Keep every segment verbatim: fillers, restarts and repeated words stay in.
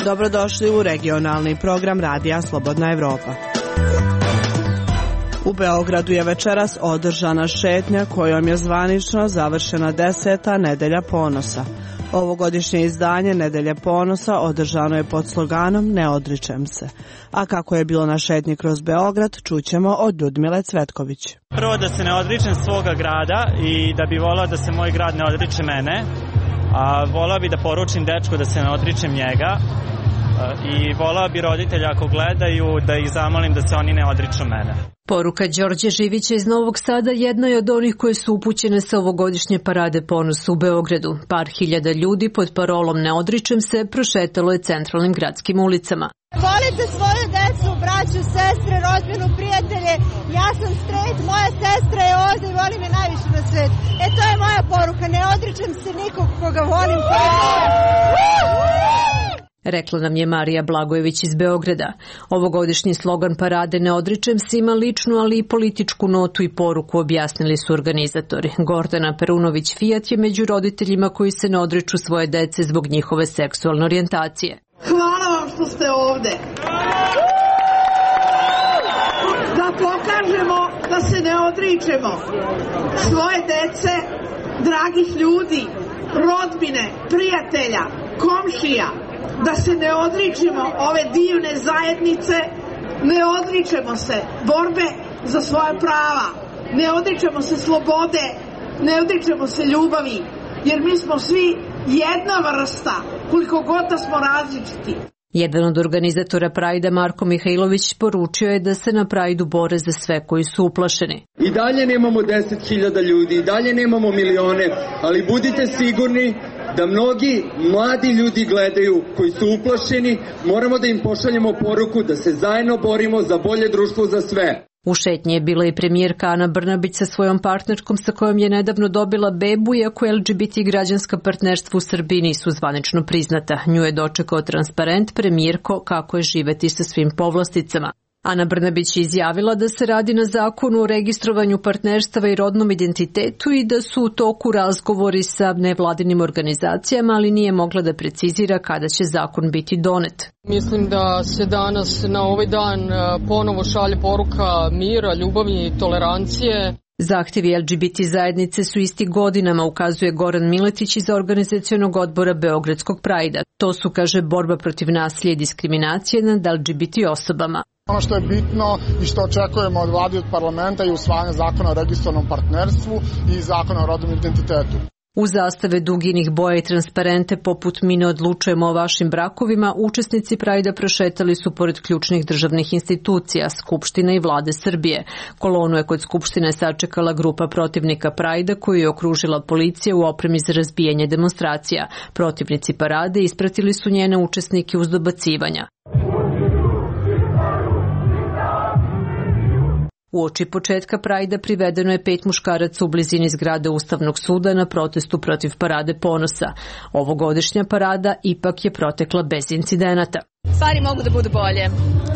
Dobrodošli u regionalni program Radija Slobodna Evropa. U Beogradu je večeras održana šetnja kojom je zvanično završena deseta Nedelja ponosa. Ovogodišnje izdanje Nedelje ponosa održano je pod sloganom Ne odričem se. A kako je bilo na šetnji kroz Beograd, čućemo od Ljudmile Cvetković. Prvo da se ne odričem svoga grada i da bi volao da se moj grad ne odriče mene. A volao bi da poručim dečku da se ne odričem njega. I volao bi roditelja ako gledaju da ih zamolim da se oni ne odriču mene. Poruka Đorđe Živića iz Novog Sada jedna je od onih koje su upućene sa ovogodišnje parade ponosa u Beogradu. Par hiljada ljudi pod parolom Ne odričem se prošetalo je centralnim gradskim ulicama. Volite svoju decu, braću, sestre, rodbinu, prijatelje. Ja sam straight, moja sestra je ovde i voli me najviše na svet. E to je moja poruka, ne odričem se nikog koga volim. Rekla nam je Marija Blagojević iz Beograda. Ovogodišnji slogan parade Ne odričem se ima ličnu, ali i političku notu i poruku, objasnili su organizatori. Gordana Perunović-Fijat je među roditeljima koji se ne odriču svoje dece zbog njihove seksualne orijentacije. Hvala vam što ste ovde. Da pokažemo da se ne odričemo svoje dece, dragih ljudi, rodbine, prijatelja, komšija, da se ne odričemo ove divne zajednice, ne odričemo se borbe za svoja prava, ne odričemo se slobode, ne odričemo se ljubavi, jer mi smo svi jedna vrsta, koliko god da smo različiti. Jedan od organizatora Prajda, Marko Mihajlović, poručio je da se na Prajdu bore za sve koji su uplašeni. I dalje nemamo deset hiljada ljudi, i dalje nemamo milione, ali budite sigurni da mnogi mladi ljudi gledaju koji su uplašeni, moramo da im pošaljemo poruku da se zajedno borimo za bolje društvo za sve. U šetnji je bila i premijerka Ana Brnabić sa svojom partnerkom sa kojom je nedavno dobila bebu, iako L G B T građanska partnerstva u Srbiji nisu zvanično priznata. Nju je dočekao transparent premijerko kako je živeti sa svim povlasticama. Ana Brnabić je izjavila da se radi na zakonu o registrovanju partnerstava i rodnom identitetu i da su u toku razgovori sa nevladinim organizacijama, ali nije mogla da precizira kada će zakon biti donet. Mislim da se danas na ovaj dan ponovo šalje poruka mira, ljubavi i tolerancije. Zahtjevi L G B T zajednice su isti godinama, ukazuje Goran Miletić iz organizacionog odbora Beogradskog Prajda. To su, kaže, borba protiv nasilja i diskriminacije nad L G B T osobama. Ono što je bitno i što očekujemo od vlade i od parlamenta je usvajanje zakona o registrovanom partnerstvu i zakona o rodnom identitetu. U zastave duginih boja i transparente poput Mi ne odlučujemo o vašim brakovima, učesnici Prajda prošetali su pored ključnih državnih institucija, Skupštine i vlade Srbije. Kolonu je kod Skupštine sačekala grupa protivnika Prajda koju je okružila policija u opremi za razbijanje demonstracija. Protivnici parade ispratili su njene učesnike uz dobacivanja. Uoči početka Prajda privedeno je pet muškaraca u blizini zgrade Ustavnog suda na protestu protiv parade ponosa. Ovogodišnja parada ipak je protekla bez incidenata. Stvari mogu da budu bolje.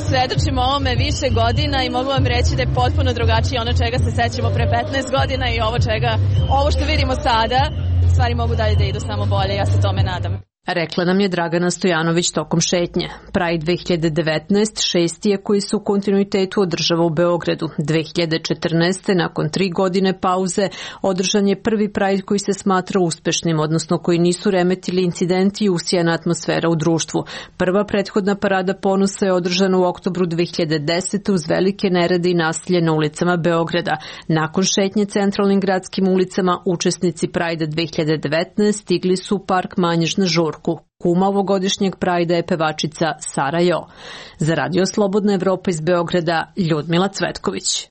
Svedočimo ovome više godina i mogu vam reći da je potpuno drugačije ono čega se sećamo pre petnaest godina i ovo čega, ovo što vidimo sada, stvari mogu dalje da idu samo bolje, ja se tome nadam. Rekla nam je Dragana Stojanović tokom šetnje. Pride dve hiljade devetnaest šesti je koji se u kontinuitetu održava u Beogradu. dve hiljade četrnaeste nakon tri godine pauze, održan je prvi Pride koji se smatra uspešnim, odnosno koji nisu remetili incidenti i usijana atmosfera u društvu. Prva prethodna parada ponosa je održana u oktobru dve hiljade desete uz velike nerede i nasilje na ulicama Beograda. Nakon šetnje centralnim gradskim ulicama, učesnici Prajda dve hiljade devetnaeste stigli su u park Manjež na žurku. Kuma ovogodišnjeg Prajda je pevačica Sara Jo. Za Radio Slobodna Evropa iz Beograda, Ljudmila Cvetković.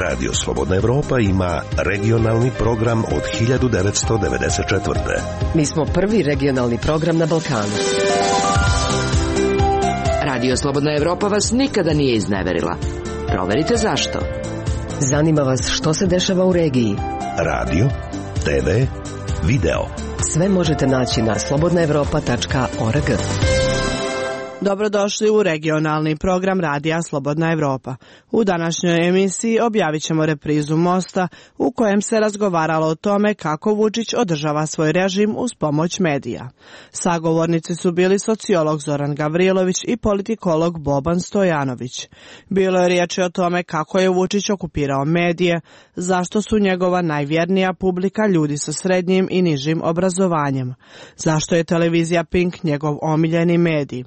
Radio Slobodna Evropa ima regionalni program od hiljadu devetsto devedeset četvrte. Mi smo prvi regionalni program na Balkanu. Radio Slobodna Evropa vas nikada nije izneverila. Proverite zašto. Zanima vas što se dešava u regiji. Radio, te ve, video. Sve možete naći na slobodna evropa tačka org. Dobrodošli u regionalni program Radija Slobodna Evropa. U današnjoj emisiji objavit ćemo reprizu Mosta u kojem se razgovaralo o tome kako Vučić održava svoj režim uz pomoć medija. Sagovornici su bili sociolog Zoran Gavrilović i politikolog Boban Stojanović. Bilo je riječi o tome kako je Vučić okupirao medije, zašto su njegova najvjernija publika ljudi sa srednjim i nižim obrazovanjem, zašto je televizija Pink njegov omiljeni medij,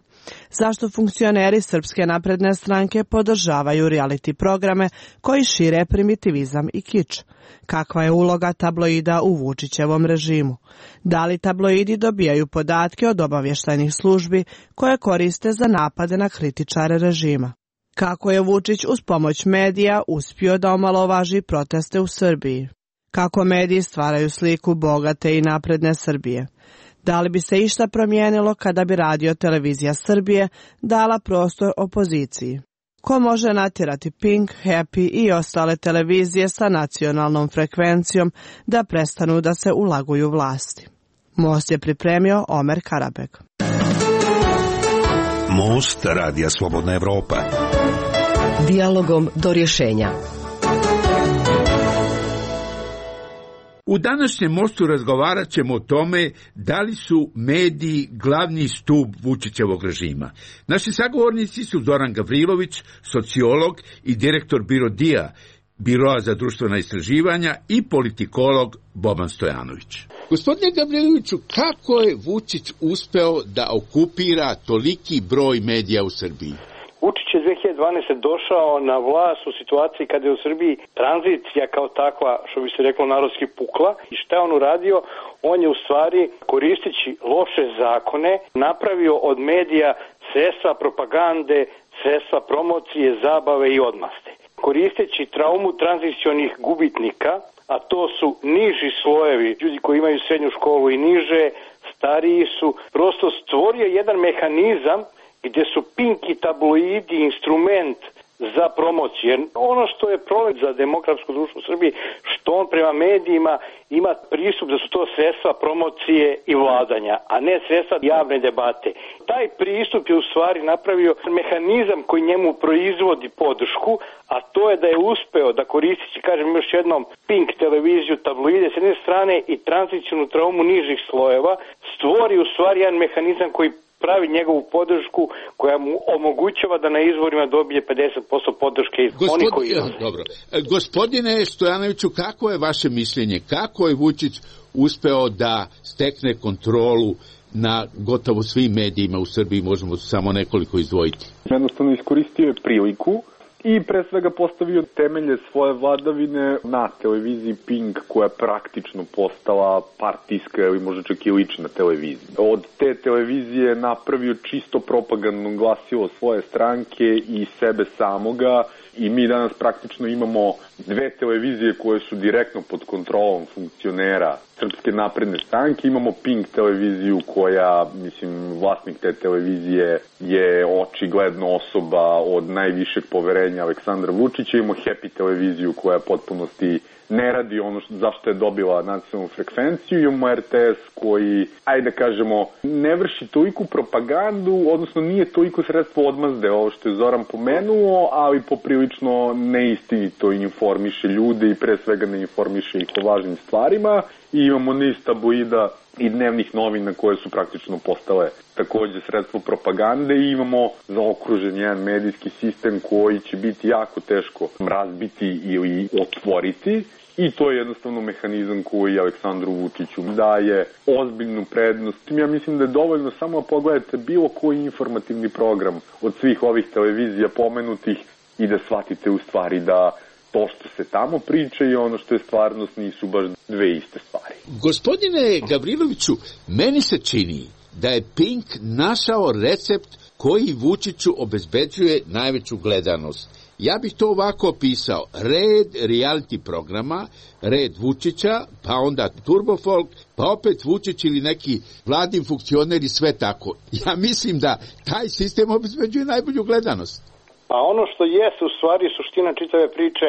zašto funkcioneri Srpske napredne stranke podržavaju reality programe koji šire primitivizam i kič, kakva je uloga tabloida u Vučićevom režimu, da li tabloidi dobijaju podatke od obavještajnih službi koje koriste za napade na kritičare režima, kako je Vučić uz pomoć medija uspio da omalovaži proteste u Srbiji, kako mediji stvaraju sliku bogate i napredne Srbije. Da li bi se išta promijenilo kada bi Radio Televizija Srbije dala prostor opoziciji? Ko može natjerati Pink, Happy i ostale televizije sa nacionalnom frekvencijom da prestanu da se ulaguju vlasti? Most je pripremio Omer Karabek. Most Radija Slobodna Evropa. Dijalogom do rješenja. U današnjem mostu razgovarat ćemo o tome da li su mediji glavni stup Vučićevog režima. Naši sagovornici su Zoran Gavrilović, sociolog i direktor BIRODIA, Biroa za društvena istraživanja, i politikolog Boban Stojanović. Gospodine Gavriloviću, kako je Vučić uspeo da okupira toliki broj medija u Srbiji? Vučić je dve hiljade dvanaeste. došao na vlast u situaciji kada je u Srbiji tranzicija kao takva, što bi se reklo narodski, pukla. I šta je on uradio? On je u stvari, koristeći loše zakone, napravio od medija sredstva propagande, sredstva promocije, zabave i odmaste. Koristeći traumu tranzicionih gubitnika, a to su niži slojevi, ljudi koji imaju srednju školu i niže, stariji su, prosto stvorio jedan mehanizam gdje su Pink i tabloidi instrument za promociju. Jer ono što je problem za demokratsko društvo u Srbiji, što on prema medijima ima pristup da su to sredstva promocije i vladanja, a ne sredstva javne debate. Taj pristup je u stvari napravio mehanizam koji njemu proizvodi podršku, a to je da je uspeo da koristeći, kažem još jednom, Pink televiziju, tabloide s jedne strane i tranzicionu traumu nižih slojeva, stvori u stvari jedan mehanizam koji pravi njegovu podršku koja mu omogućava da na izborima dobije pedeset posto podrške iz Gospod... onih koji... Dobro. Gospodine Stojanoviću, kako je vaše mišljenje? Kako je Vučić uspeo da stekne kontrolu na gotovo svim medijima u Srbiji? Možemo samo nekoliko izdvojiti. Jednostavno iskoristio je priliku i pre svega postavio temelje svoje vladavine na televiziji Pink, koja je praktično postala partijska ili možda čak i lična televizija. Od te televizije napravio čisto propagandno glasilo svoje stranke i sebe samoga, i mi danas praktično imamo dve televizije koje su direktno pod kontrolom funkcionera Srpske napredne stranke. Imamo Pink televiziju koja, mislim, vlasnik te televizije je očigledno osoba od najvišeg poverenja Aleksandra Vučića. Imamo Happy televiziju koja potpunosti ne radi ono što, zašto je dobila nacionalnu frekvenciju. Imamo R T S koji, ajde da kažemo, ne vrši toliko propagandu, odnosno nije toliko sredstvo odmazde, ovo što je Zoran pomenuo, ali poprilično neistinito informiše ljude i pre svega ne informiše ih o važnim stvarima. I imamo niz tabloida i dnevnih novina koje su praktično postale takođe sredstvo propagande, i imamo zaokružen jedan medijski sistem koji će biti jako teško razbiti ili otvoriti, i to je jednostavno mehanizam koji Aleksandru Vučiću daje ozbiljnu prednost. Ja mislim da je dovoljno samo pogledate bilo koji informativni program od svih ovih televizija pomenutih i da shvatite u stvari da to što se tamo priča i ono što je stvarnost nisu baš dve iste stvari. Gospodine Gavriloviću, meni se čini da je Pink našao recept koji Vučiću obezbeđuje najveću gledanost. Ja bih to ovako opisao: red reality programa, red Vučića, pa onda Turbofolk, pa opet Vučić ili neki vladin funkcioner i sve tako. Ja mislim da taj sistem obezbeđuje najbolju gledanost. Pa ono što jeste u stvari suština čitave priče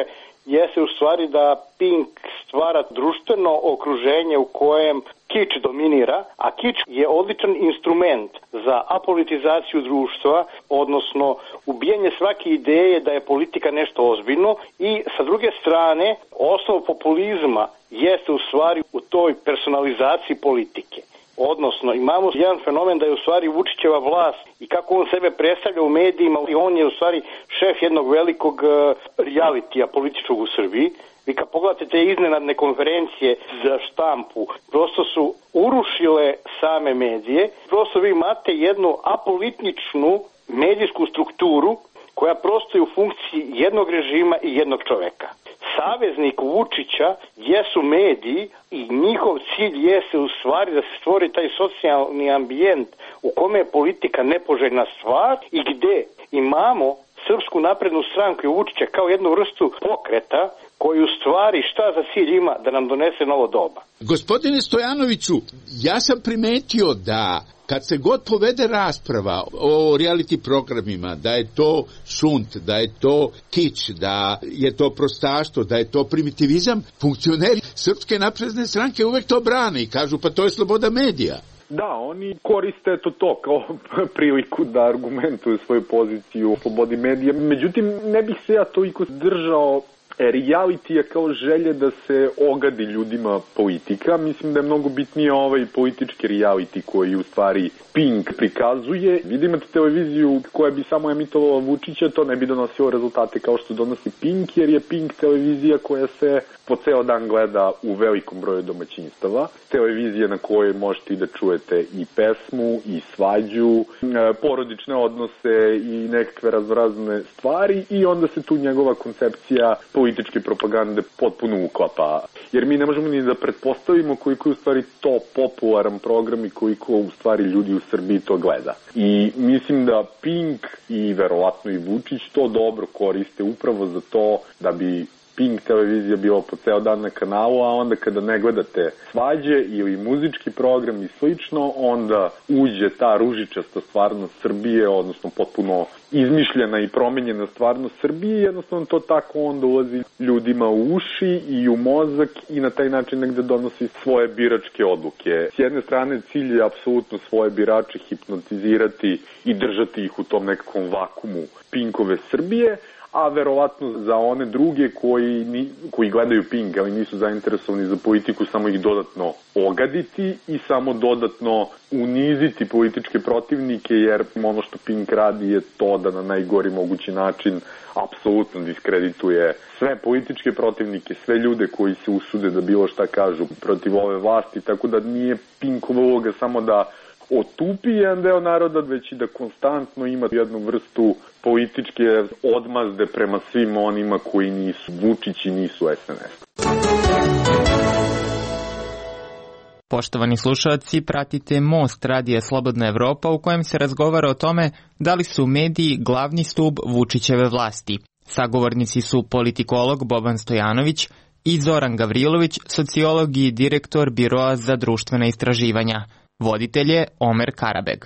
jeste u stvari da Pink stvara društveno okruženje u kojem kič dominira, a kič je odličan instrument za apolitizaciju društva, odnosno ubijanje svake ideje da je politika nešto ozbiljno i sa druge strane osnov populizma jeste u stvari u toj personalizaciji politike. Odnosno, imamo jedan fenomen da je u stvari Vučićeva vlast i kako on sebe predstavlja u medijima, i on je u stvari šef jednog velikog realitija političkog u Srbiji. Vi kad pogledate te iznenadne konferencije za štampu, prosto su urušile same medije. Prosto vi imate jednu apolitičnu medijsku strukturu koja prosto je u funkciji jednog režima i jednog čoveka. Saveznik Vučića jesu mediji i njihov cilj jeste u stvari da se stvori taj socijalni ambijent u kome je politika nepoželjna stvar i gde imamo Srpsku naprednu stranku i Vučića kao jednu vrstu pokreta koji u stvari šta za cilj ima da nam donese novo doba. Gospodine Stojanoviću, ja sam primetio da kad se god povede rasprava o reality programima, da je to šunt, da je to kič, da je to prostaštvo, da je to primitivizam, funkcioneri Srpske napredne stranke uvek to brane i kažu pa to je sloboda medija. Da, oni koriste to to kao priliku da argumentuju svoju poziciju u slobodi medija. Međutim, ne bih se ja toliko držao realitija kao želje da se ogadi ljudima politika. Mislim da je mnogo bitnije ovaj politički reality koji u stvari Pink prikazuje. Vidimo televiziju koja bi samo emitovala Vučića, to ne bi donosilo rezultate kao što donosi Pink, jer je Pink televizija koja se po ceo dan gleda u velikom broju domaćinstava. Televizija na kojoj možete i da čujete i pesmu, i svađu, porodične odnose i nekakve raznorazne stvari i onda se tu njegova koncepcija političke propagande potpuno uklapa. Jer mi ne možemo ni da pretpostavimo koliko je u stvari to popularan program i koliko u stvari ljudi u Srbiji to gleda. I mislim da Pink i verovatno i Vučić to dobro koriste upravo za to da bi Pink televizija bila po ceo dan na kanalu, a onda kada ne gledate svađe ili muzički program i slično, onda uđe ta ružičasta stvarnost Srbije, odnosno potpuno izmišljena i promenjena stvarnost Srbije, jednostavno to tako onda ulazi ljudima u uši i u mozak i na taj način negde donosi svoje biračke odluke. S jedne strane cilj je apsolutno svoje birače hipnotizirati i držati ih u tom nekakvom vakumu Pinkove Srbije, a verovatno za one druge koji, ni, koji gledaju Pink, ali nisu zainteresovani za politiku, samo ih dodatno ogaditi i samo dodatno uniziti političke protivnike, jer ono što Pink radi je to da na najgori mogući način apsolutno diskredituje sve političke protivnike, sve ljude koji se usude da bilo šta kažu protiv ove vlasti, tako da nije Pinkova uloga samo da otupi jedan deo naroda, već i da konstantno ima jednu vrstu političke odmazde prema svim onima koji nisu Vučić i nisu es en es. Poštovani slušalci, pratite Most radija Slobodna Evropa u kojem se razgovara o tome da li su mediji glavni stub Vučićeve vlasti. Sagovornici su politikolog Boban Stojanović i Zoran Gavrilović, sociolog i direktor Biroa za društvena istraživanja. Voditelj je Omer Karabeg.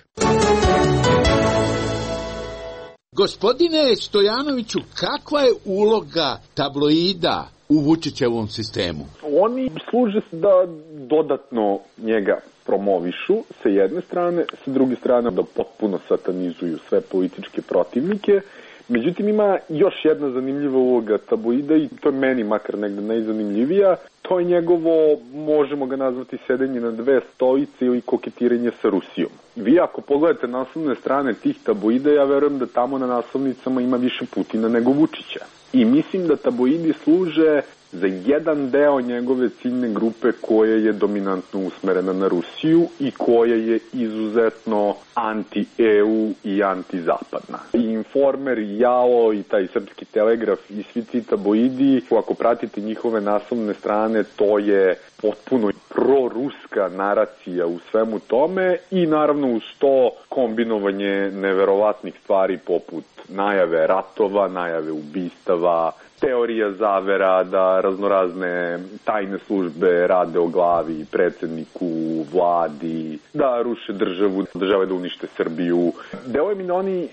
Gospodine Stojanoviću, kakva je uloga tabloida u Vučićevom sistemu? Oni služe da dodatno njega promovišu sa jedne strane, sa druge strane da potpuno satanizuju sve političke protivnike. Međutim, ima još jedna zanimljiva uloga tabloida i to je meni makar negde najzanimljivija. To je njegovo, možemo ga nazvati, sedenje na dve stolice ili koketiranje sa Rusijom. Vi ako pogledate naslovne strane tih tabloida, ja verujem da tamo na naslovnicama ima više Putina nego Vučića. I mislim da tabloidi služe za jedan deo njegove ciljne grupe koja je dominantno usmerena na Rusiju i koja je izuzetno anti-e u i anti-zapadna. I Informer, i Jalo, i taj Srpski telegraf i svi ti tabloidi, ako pratite njihove naslovne strane, to je potpuno proruska naracija u svemu tome i naravno uz to kombinovanje neverovatnih stvari poput najave ratova, najave ubistava, teorija zavera da raznorazne tajne službe rade o glavi predsedniku, vladi, da ruše državu, države da unište Srbiju. Deluje mi da oni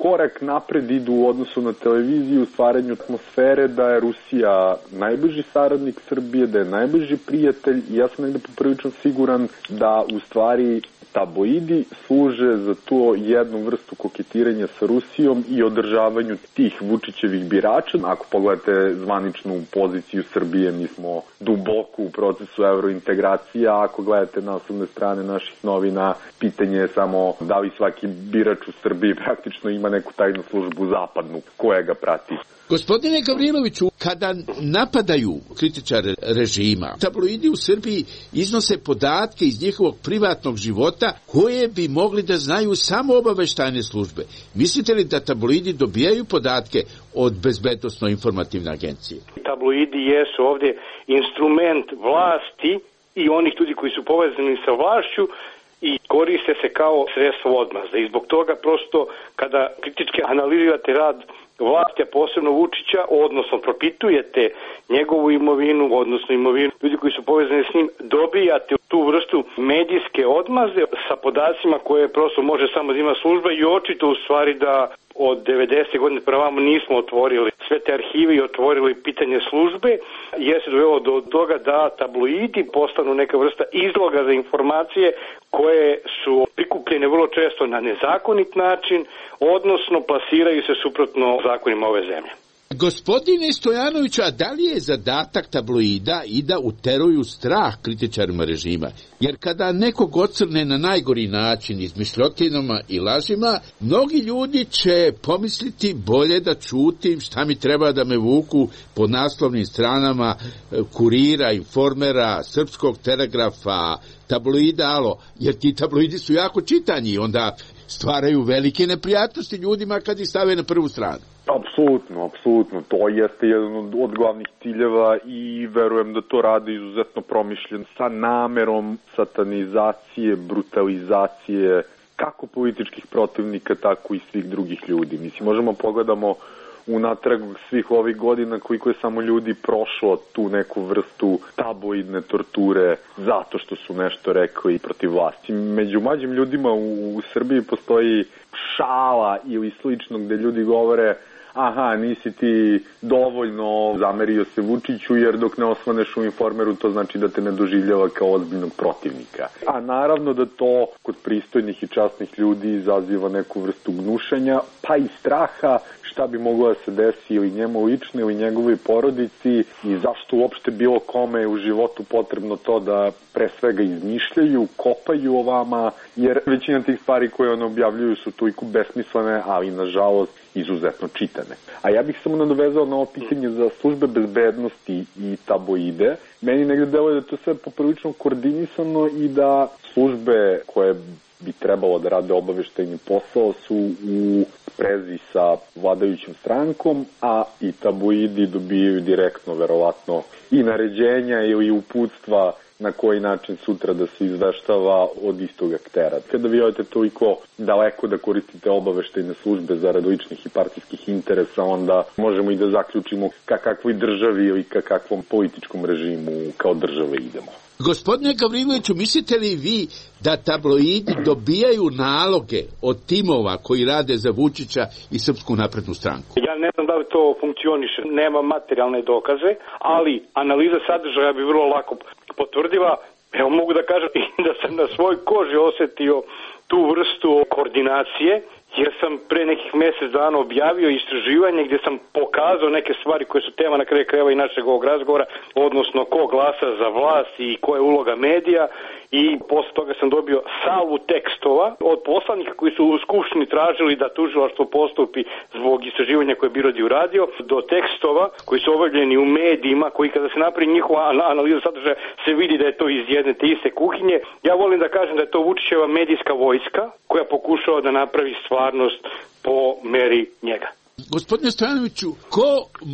korak korak napred idu u odnosu na televiziju u stvaranju atmosfere da je Rusija najbliži saradnik Srbije, da je najbliži prijatelj i ja sam negde poprilično siguran da u stvari tabloidi služe za to jednu vrstu koketiranja sa Rusijom i održavanju tih Vučićevih birača. Ako pogledate zvaničnu poziciju Srbije, mi smo duboko u procesu evrointegracija, a ako gledate naslovne strane naših novina, pitanje je samo da li svaki birač u Srbiji praktično ima neku tajnu službu zapadnu koja ga prati. Gospodine Gavriloviću, kada napadaju kritičare režima, tabloidi u Srbiji iznose podatke iz njihovog privatnog života koje bi mogli da znaju samo obaveštajne službe. Mislite li da tabloidi dobijaju podatke od bezbednosno-informativne agencije? Tabloidi jesu ovdje instrument vlasti i onih ljudi koji su povezani sa vlašću i koriste se kao sredstvo odmazde. I zbog toga prosto kada kritički analizirate rad vlasti, a posebno Vučića, odnosno propitujete njegovu imovinu, odnosno imovinu ljudi koji su povezani s njim, dobijate tu vrstu medijske odmazde sa podacima koje prosto može samo da ima služba i očito u stvari da od devedesete godine prema vamo nismo otvorili sve te arhive i otvorili pitanje službe, jer se dovelo do toga da tabloidi postanu neka vrsta izloga za informacije koje su prikupljene vrlo često na nezakonit način, odnosno plasiraju se suprotno zakonima ove zemlje. Gospodine Stojanoviću, a da li je zadatak tabloida i da uteruju strah kritičarima režima? Jer kada nekog ocrne na najgori način izmišljotinama i lažima, mnogi ljudi će pomisliti bolje da čutim, šta mi treba da me vuku po naslovnim stranama Kurira, Informera, Srpskog telegrafa, tabloida, alo, jer ti tabloidi su jako čitani i onda stvaraju velike neprijatnosti ljudima kad ih stave na prvu stranu. Apsolutno, apsolutno. To jeste jedan od, od glavnih ciljeva i verujem da to rade izuzetno promišljen sa namerom satanizacije, brutalizacije kako političkih protivnika, tako i svih drugih ljudi. Mislim, možemo pogledamo unatrag svih ovih godina koliko je samo ljudi prošlo tu neku vrstu tabloidne torture zato što su nešto rekli protiv vlasti. Među mlađim ljudima u, u Srbiji postoji šala ili slično gde ljudi govore aha, nisi ti dovoljno zamerio se Vučiću jer dok ne osvaneš u Informeru to znači da te ne doživljava kao ozbiljnog protivnika. A naravno da to kod pristojnih i časnih ljudi izaziva neku vrstu gnušanja pa i straha šta bi moglo da se desi ili njemu lično ili njegovoj porodici i zašto uopšte bilo kome u životu potrebno to da pre svega izmišljaju, kopaju o vama, jer većina tih stvari koje one objavljuju su toliko besmislene, ali nažalost izuzetno čitane. A ja bih samo nadovezao na ovo pitanje za službe bezbednosti i tabloide. Meni negde deluje da to sve poprilično koordinisano i da službe koje bi trebalo da rade obaveštajni posao su u sprezi sa vladajućim strankom, a i tabloidi dobijaju direktno, verovatno, i naređenja ili uputstva na koji način sutra da se izveštava od istog aktera. Kada vi odete toliko daleko da koristite obaveštajne službe zarad ličnih i partijskih interesa, onda možemo i da zaključimo ka kakvoj državi ili ka kakvom političkom režimu kao države idemo. Gospodine Gavriloviću, mislite li vi da tabloidi dobijaju naloge od timova koji rade za Vučića i Srpsku naprednu stranku? Ja ne znam da li to funkcioniše, nema materijalne dokaze, ali analiza sadržaja bi vrlo lako potvrdila. Evo mogu da kažem da sam na svoj koži osetio tu vrstu koordinacije, jer sam pre nekih mjesec dana objavio istraživanje gdje sam pokazao neke stvari koje su tema na kraju krajeva i našeg ovog razgovora, odnosno ko glasa za vlast i koja je uloga medija, i posle toga sam dobio salvu tekstova od poslanika koji su u Skupštini tražili da tužilaštvo postupi zbog istraživanja koje je Birodi uradio, do tekstova koji su objavljeni u medijima, koji kada se napravi njihova analiza sadržaja se vidi da je to iz jedne te iste kuhinje. Ja volim da kažem da je to Vučićeva medijska vojska koja pokušava da napravi stvarnost po meri njega. Gospodine Stojanoviću, ko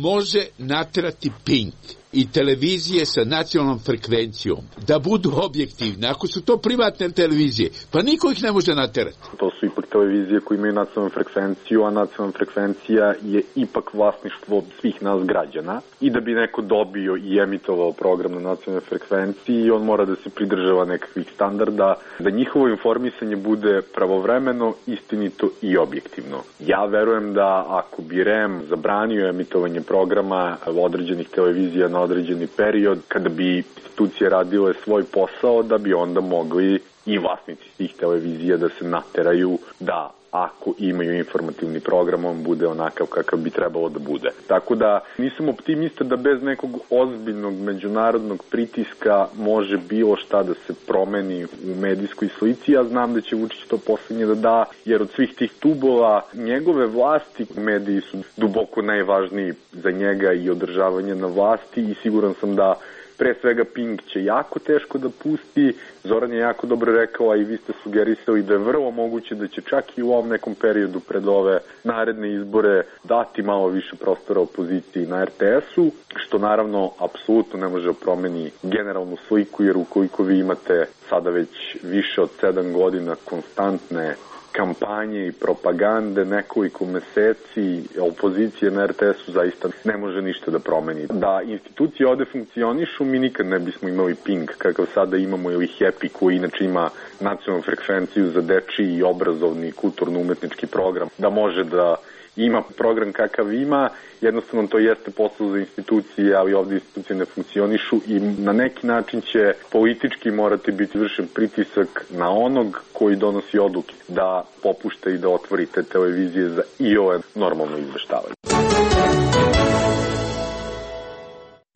može naterati Pink i televizije sa nacionalnom frekvencijom da budu objektivne. Ako su to privatne televizije, pa niko ih ne može naterati. To su ipak televizije koje imaju nacionalnu frekvenciju, a nacionalna frekvencija je ipak vlasništvo svih nas građana. I da bi neko dobio i emitovao program na nacionalnoj frekvenciji, on mora da se pridržava nekakvih standarda, da njihovo informisanje bude pravovremeno, istinito i objektivno. Ja verujem da ako bi R E M zabranio emitovanje programa određenih televizija na određeni period, kada bi institucije radile svoj posao, da bi onda mogli i vlasnici tih televizija da se nateraju da ako imaju informativni program, on bude onakav kakav bi trebalo da bude. Tako da nisam optimista da bez nekog ozbiljnog međunarodnog pritiska može bilo šta da se promeni u medijskoj slici. Ja znam da će Vučić to poslednje da da, jer od svih tih tubova njegove vlasti, mediji su duboko najvažniji za njega i održavanje na vlasti i siguran sam da pre svega Pink će jako teško da pusti. Zoran je jako dobro rekao, a i vi ste sugerisali da je vrlo moguće da će čak i u ovom nekom periodu pred ove naredne izbore dati malo više prostora opoziciji na R T S-u, što naravno apsolutno ne može promeni generalnu sliku, jer ukoliko vi imate sada već više od sedam godina konstantne kampanje i propagande nekoliko meseci opozicije na R T S-u zaista ne može ništa da promeni. Da institucije ovde funkcionišu, mi nikad ne bismo imali Pink kakav sada imamo ili Happy koji inače ima nacionalnu frekvenciju za dečiji i obrazovni kulturno-umetnički program, da može da ima program kakav ima, jednostavno to jeste posao za institucije, ali ovde institucije ne funkcionišu i na neki način će politički morati biti vršen pritisak na onog koji donosi odluke da popušta i da otvori te televizije za i ove normalno izveštavanje.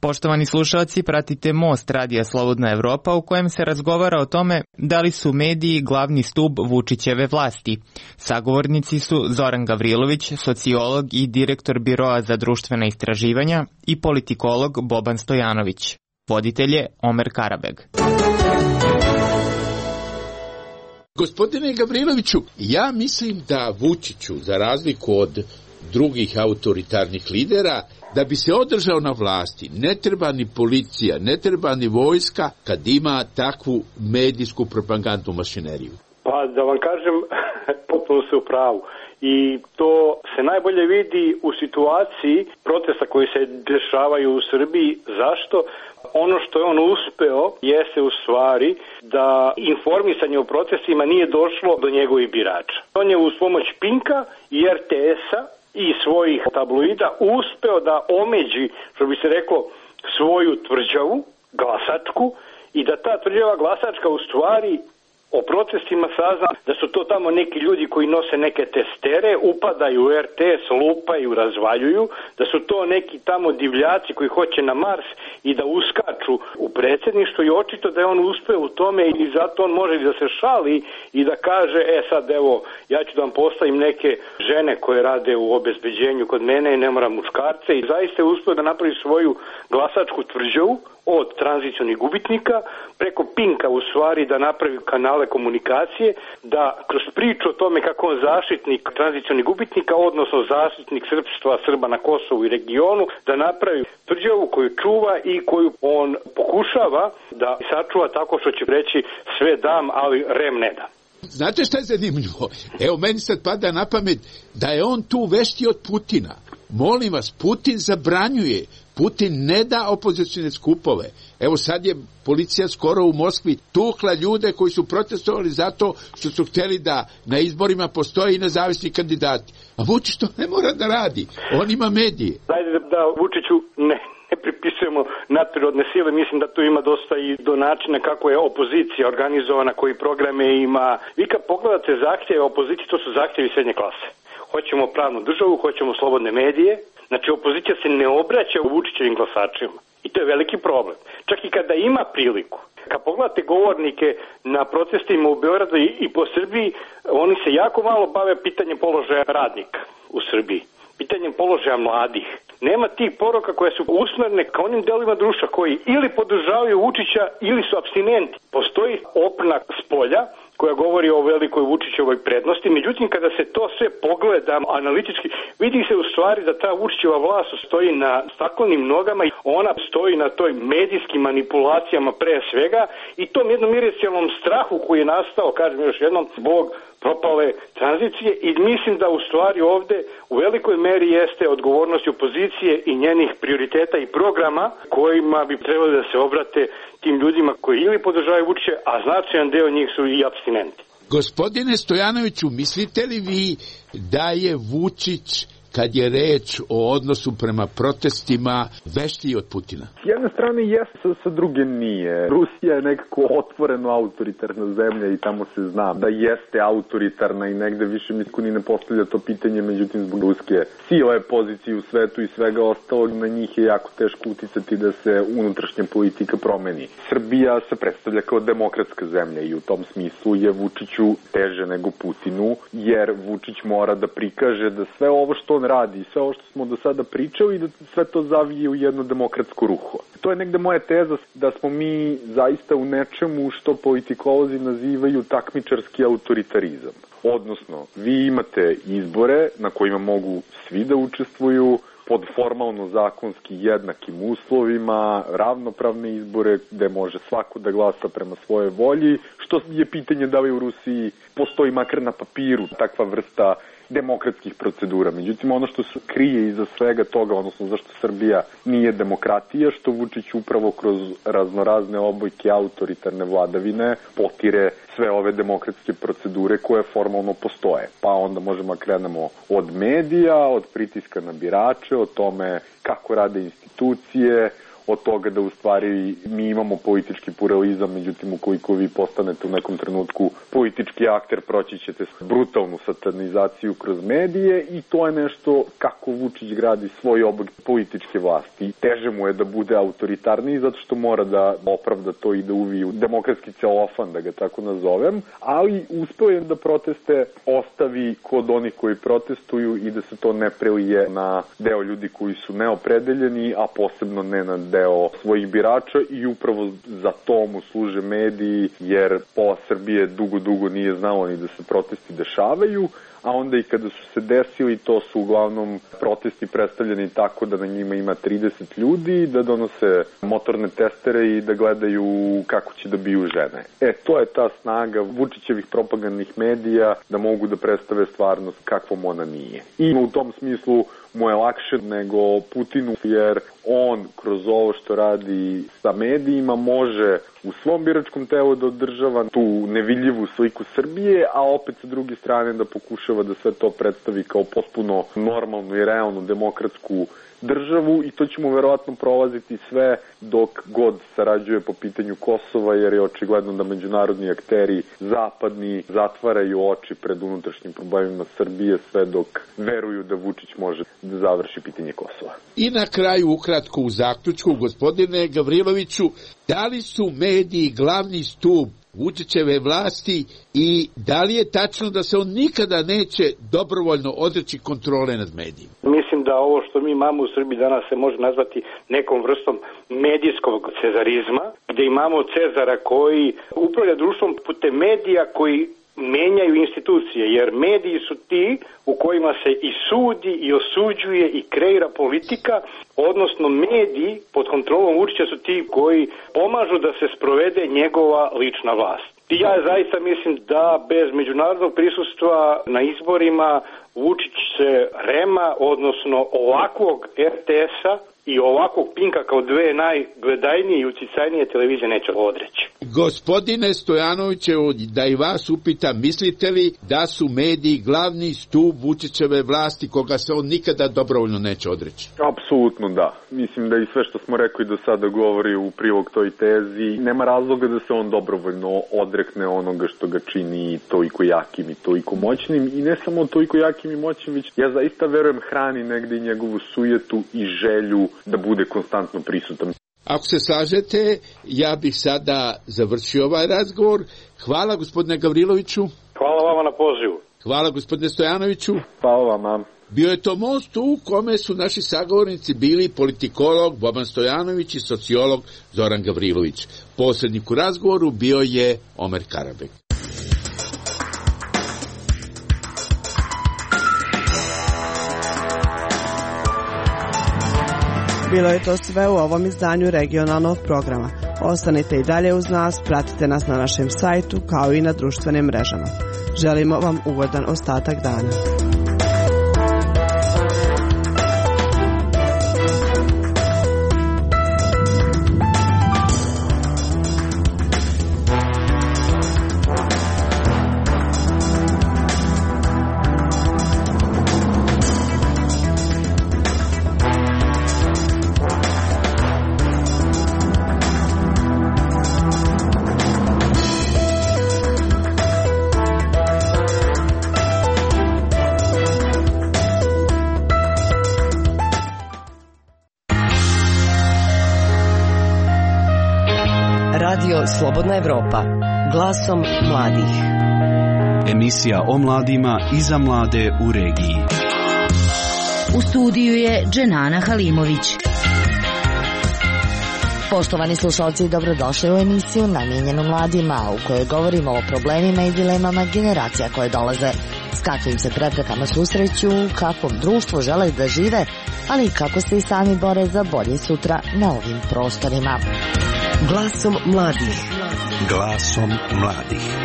Poštovani slušalci, pratite Most radija Slobodna Evropa u kojem se razgovara o tome da li su mediji glavni stub Vučićeve vlasti. Sagovornici su Zoran Gavrilović, sociolog i direktor Biroa za društvena istraživanja i politikolog Boban Stojanović. Voditelj je Omer Karabeg. Gospodine Gavriloviću, ja mislim da Vučiću, za razliku od drugih autoritarnih lidera, da bi se održao na vlasti, ne treba ni policija, ne treba ni vojska kad ima takvu medijsku propagandnu mašineriju. Pa da vam kažem, potpuno se u pravu. I to se najbolje vidi u situaciji protesta koji se dešavaju u Srbiji. Zašto? Ono što je on uspeo jeste u stvari da informisanje o protestima nije došlo do njegovih birača. On je uz pomoć Pinka i R T S-a i svojih tabloida uspeo da omeđi, što bi se reklo, svoju tvrđavu, glasačku, i da ta tvrđava glasačka u stvari o protestima sazna da su to tamo neki ljudi koji nose neke testere, upadaju u R T S, lupaju, razvaljuju, da su to neki tamo divljaci koji hoće na Mars i da uskaču u predsjedništvo, i očito da je on uspeo u tome i zato on može da se šali i da kaže, e sad evo, ja ću da vam postavim neke žene koje rade u obezbeđenju kod mene i ne moram muškarce, i zaista je uspeo da napravi svoju glasačku tvrđavu od tranzicionih gubitnika preko Pinka u stvari da napravi kanale komunikacije, da kroz priču o tome kako on zaštitnik tranzicionih gubitnika, odnosno zaštitnik srpstva, Srba na Kosovu i regionu, da napravi tvrđavu koju čuva i koju on pokušava da sačuva tako što će reći sve dam, ali rem ne dam. Znate šta je zanimljivo? Evo, meni sad pada na pamet da je on tu vešti od Putina. Molim vas, Putin zabranjuje, Putin ne da opozicijne skupove. Evo sad je policija skoro u Moskvi tukla ljude koji su protestovali zato što su htjeli da na izborima postoje i nezavisni kandidati. A Vučić to ne mora da radi, on ima medije. Dajde da Vučiću ne, ne pripisujemo nadprirodne sile, mislim da tu ima dosta i do načina kako je opozicija organizovana, koji programe ima. Vi kad pogledate zahtjeve opozicije, to su zahtjevi srednje klase. Hoćemo pravnu državu, hoćemo slobodne medije. Znači, opozicija se ne obraća u Vučićevim glasačima. I to je veliki problem. Čak i kada ima priliku. Kad pogledate govornike na protestima u Beogradu i, i po Srbiji, oni se jako malo bave pitanjem položaja radnika u Srbiji. Pitanjem položaja mladih. Nema tih poruka koje su usmerne ka onim delovima društva koji ili podržavaju Vučića ili su apstinenti. Postoji opnak s polja, koja govori o velikoj Vučićevoj prednosti. Međutim, kada se to sve pogleda analitički, vidi se u stvari da ta Vučićeva vlast stoji na staklenim nogama i ona stoji na toj medijskim manipulacijama pre svega i tom jednom irracionalnom strahu koji je nastao, kažem još jednom, zbog propale tranzicije i mislim da u stvari ovde u velikoj meri jeste odgovornost opozicije i njenih prioriteta i programa kojima bi trebali da se obrate tim ljudima koji ili podržavaju Vučića, a značajan deo njih su i apstinenti. Gospodine Stojanoviću, mislite li vi da je Vučić, kad je reč o odnosu prema protestima, veštiji od Putina? S jedne strane jeste, sa druge nije. Rusija je nekako otvoreno autoritarna zemlja i tamo se zna da jeste autoritarna i negde više niko ni ne postavlja to pitanje, međutim zbog ruske sile, pozicije u svetu i svega ostalog, na njih je jako teško uticati da se unutrašnja politika promeni. Srbija se predstavlja kao demokratska zemlja i u tom smislu je Vučiću teže nego Putinu, jer Vučić mora da prikaže da sve ovo što on radi, sve ovo što smo do sada pričali i da sve to zavije u jedno demokratsko ruho. To je negde moja teza da smo mi zaista u nečemu što politikolozi nazivaju takmičarski autoritarizam. Odnosno, vi imate izbore na kojima mogu svi da učestvuju, pod formalno zakonski jednakim uslovima, ravnopravne izbore gde može svako da glasa prema svoje volji, što je pitanje da li u Rusiji postoji makar na papiru takva vrsta demokratskih procedura. Međutim, ono što se krije iza svega toga, odnosno zašto Srbija nije demokratija, što Vučić upravo kroz raznorazne obojke autoritarne vladavine potire sve ove demokratske procedure koje formalno postoje. Pa onda možemo krenemo od medija, od pritiska na birače, o tome kako rade institucije, od toga da u stvari mi imamo politički pluralizam, međutim ukoliko vi postanete u nekom trenutku politički akter, proći ćete brutalnu satanizaciju kroz medije i to je nešto kako Vučić gradi svoj oblik političke vlasti. Teže mu je da bude autoritarniji zato što mora da opravda to i da uvi u demokratski celofan, da ga tako nazovem, ali uspeo je da proteste ostavi kod onih koji protestuju i da se to ne prelije na deo ljudi koji su neopredeljeni, a posebno ne na deo svojih birača i upravo za to mu služe mediji, jer pola Srbije dugo, dugo nije znalo ni da se protesti dešavaju, a onda i kada su se desili, to su uglavnom protesti predstavljeni tako da na njima ima trideset ljudi, da donose motorne testere i da gledaju kako će da biju žene. E, to je ta snaga Vučićevih propagandnih medija da mogu da predstave stvarnost kakvom ona nije. I u tom smislu mu je lakše nego Putinu, jer on kroz ovo što radi sa medijima može u svom biračkom telu da održava tu nevidljivu sliku Srbije, a opet sa druge strane da pokušava da sve to predstavi kao potpuno normalnu i realnu demokratsku državu i to ćemo verovatno prolaziti sve dok god sarađuje po pitanju Kosova, jer je očigledno da međunarodni akteri zapadni zatvaraju oči pred unutrašnjim problemima Srbije sve dok veruju da Vučić može da završi pitanje Kosova. I na kraju ukratko u zaključku, gospodine Gavriloviću, da li su mediji glavni stub Vučićeve vlasti i da li je tačno da se on nikada neće dobrovoljno odreći kontrole nad medijima? Mislim da ovo što mi imamo u Srbiji danas se može nazvati nekom vrstom medijskog cezarizma, gde imamo Cezara koji upravlja društvom putem medija koji menjaju institucije, jer mediji su ti u kojima se i sudi i osuđuje i kreira politika, odnosno mediji pod kontrolom Vučića su ti koji pomažu da se sprovede njegova lična vlast. I ja zaista mislim da bez međunarodnog prisustva na izborima Vučić se Rema, odnosno ovakvog er te es-a i ovakvog Pinka kao dve najgledajnije i uticajnije televizije neće odreći. Gospodine Stojanovićevo, da i vas upitam, mislite li da su mediji glavni stup Vučićeve vlasti koga se on nikada dobrovoljno neće odreći? Apsolutno da. Mislim da i sve što smo rekli do sada govori u prilog toj tezi. Nema razloga da se on dobrovoljno odrekne onoga što ga čini toliko jakim i toliko moćnim. I ne samo toliko jakim i moćnim, već ja zaista verujem hrani negde i njegovu sujetu i želju da bude konstantno prisutan. Ako se slažete, ja bih sada završio ovaj razgovor. Hvala gospodine Gavriloviću. Hvala vama na pozivu. Hvala gospodine Stojanoviću. Hvala vama. Bio je to most u kome su naši sagovornici bili politikolog Boban Stojanović i sociolog Zoran Gavrilović. Posrednik u razgovoru bio je Omer Karabek. Bilo je to sve u ovom izdanju regionalnog programa. Ostanite i dalje uz nas, pratite nas na našem sajtu kao i na društvenim mrežama. Želimo vam ugodan ostatak dana. Slobodna Evropa, glasom mladih. Emisija o mladima i za mlade u regiji. U studiju je Dženana Halimović. Poštovani slušalci, dobrodošli u emisiju namijenjenu mladima, u kojoj govorimo o problemima i dilemama generacija koje dolaze, s kakvim se preprekama susreću, u kakvom društvu žele da žive, ali i kako se i sami bore za bolje sutra na ovim prostorima. Glasom mladih. Glasom mladih.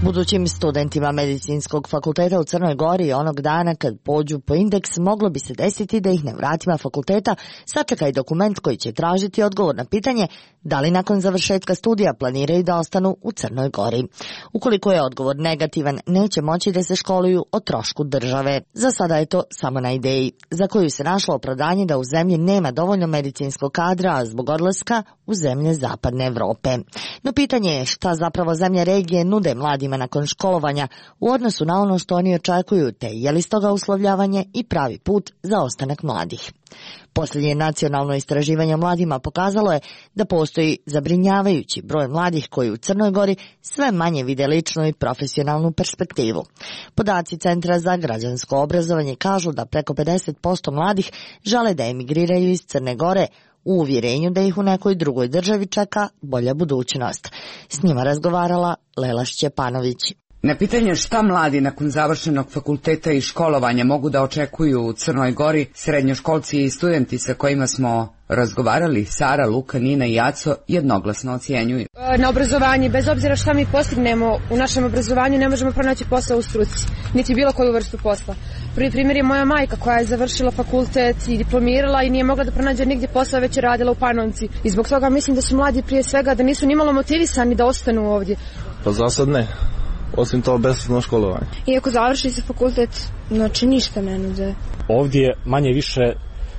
Budućim studentima Medicinskog fakulteta u Crnoj Gori onog dana kad pođu po indeks moglo bi se desiti da ih na vratima fakulteta sačeka i dokument koji će tražiti odgovor na pitanje da li nakon završetka studija planiraju da ostanu u Crnoj Gori. Ukoliko je odgovor negativan, neće moći da se školuju o trošku države. Za sada je to samo na ideji, za koju se našlo opravdanje da u zemlji nema dovoljno medicinskog kadra, a zbog odlaska u zemlje Zapadne Evrope. No pitanje je šta zapravo zemlje regije nude mladima nakon školovanja u odnosu na ono što oni očekuju, te je li stoga uslovljavanje i pravi put za ostanak mladih. Posljednje nacionalno istraživanje o mladima pokazalo je da postoji zabrinjavajući broj mladih koji u Crnoj Gori sve manje vide ličnu i profesionalnu perspektivu. Podaci Centra za građansko obrazovanje kažu da preko pedeset posto mladih žele da emigriraju iz Crne Gore u uvjerenju da ih u nekoj drugoj državi čeka bolja budućnost. S njima razgovarala Lela Šćepanović. Na pitanje šta mladi nakon završenog fakulteta i školovanja mogu da očekuju u Crnoj Gori, srednjoškolci i studenti sa kojima smo razgovarali, Sara, Luka, Nina i Aco, jednoglasno ocjenjuju. Na obrazovanje, bez obzira šta mi postignemo u našem obrazovanju, ne možemo pronaći posao u struci, niti bilo koju vrstu posla. Prvi primjer je moja majka koja je završila fakultet i diplomirala i nije mogla da pronađe nigdje posao, već je radila u Panovci. I zbog toga mislim da su mladi prije svega da nisu nimalo motivisani da ostanu ovdje. Pa za sad ne. Osim to besplatno školovanje. Iako završi se fakultet, znači ništa ne nude. Ovdje manje više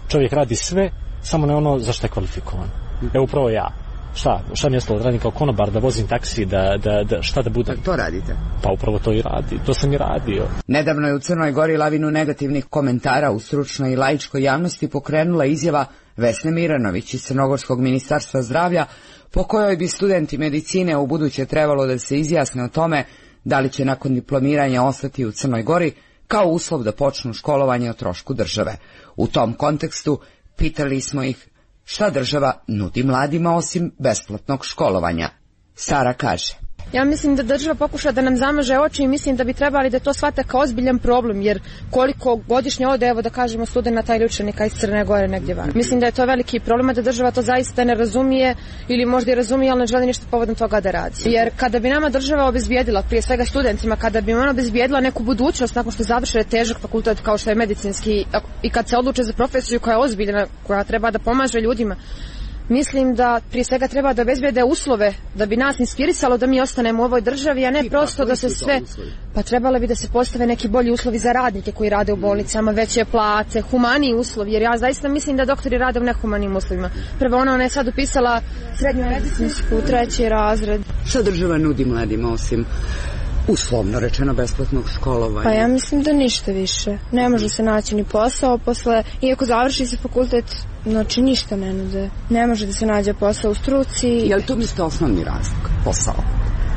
čovjek radi sve, samo ne ono za što je kvalifikovan. Evo upravo ja. Šta? Šta mi je ostalo? Da radim kao konobar, da vozim taksi, da, da, da šta da budem? Pa to radite? Pa upravo to i radi. To sam i radio. Nedavno je u Crnoj Gori lavinu negativnih komentara u stručnoj i laičkoj javnosti pokrenula izjava Vesne Miranović iz Crnogorskog ministarstva zdravlja, po kojoj bi studenti medicine u buduće trebalo da se izjasne o tome da li će nakon diplomiranja ostati u Crnoj Gori kao uslov da počnu školovanje o trošku države. U tom kontekstu pitali smo ih šta država nudi mladima osim besplatnog školovanja. Sara kaže: Ja mislim da država pokuša da nam zamaže oči i mislim da bi trebali da to shvate kao ozbiljan problem, jer koliko godišnje ode, evo da kažemo, studenata ili učenika iz Crne Gore negdje van. Mislim da je to veliki problem, da država to zaista ne razumije ili možda i razumije, ali ne želi ništa povodom toga da radi. Jer kada bi nama država obezbijedila, prije svega studentima, kada bi ona obezbijedila neku budućnost nakon što završe težak fakultet kao što je medicinski i kad se odluče za profesiju koja je ozbiljna, koja treba da pomaže ljudima, mislim da prije svega treba da obezbijede uslove da bi nas inspirisalo da mi ostanemo u ovoj državi, a ne prosto da se sve... Pa trebalo bi da se postave neki bolji uslovi za radnike koji rade u bolnicama, veće plate, humaniji uslovi, jer ja zaista mislim da doktori rade u nehumanim uslovima. Prvo ona, ona je sad upisala srednju medicinsku, treći razred. Šta država nudi mladima osim uslovno rečeno besplatnog školovanja? Pa ja mislim da ništa više. Ne može se naći ni posao posle, iako završi se fakultet, znači ništa ne nude. Ne može da se nađe posao u struci. Je li to mislite osnovni razlog? Posao?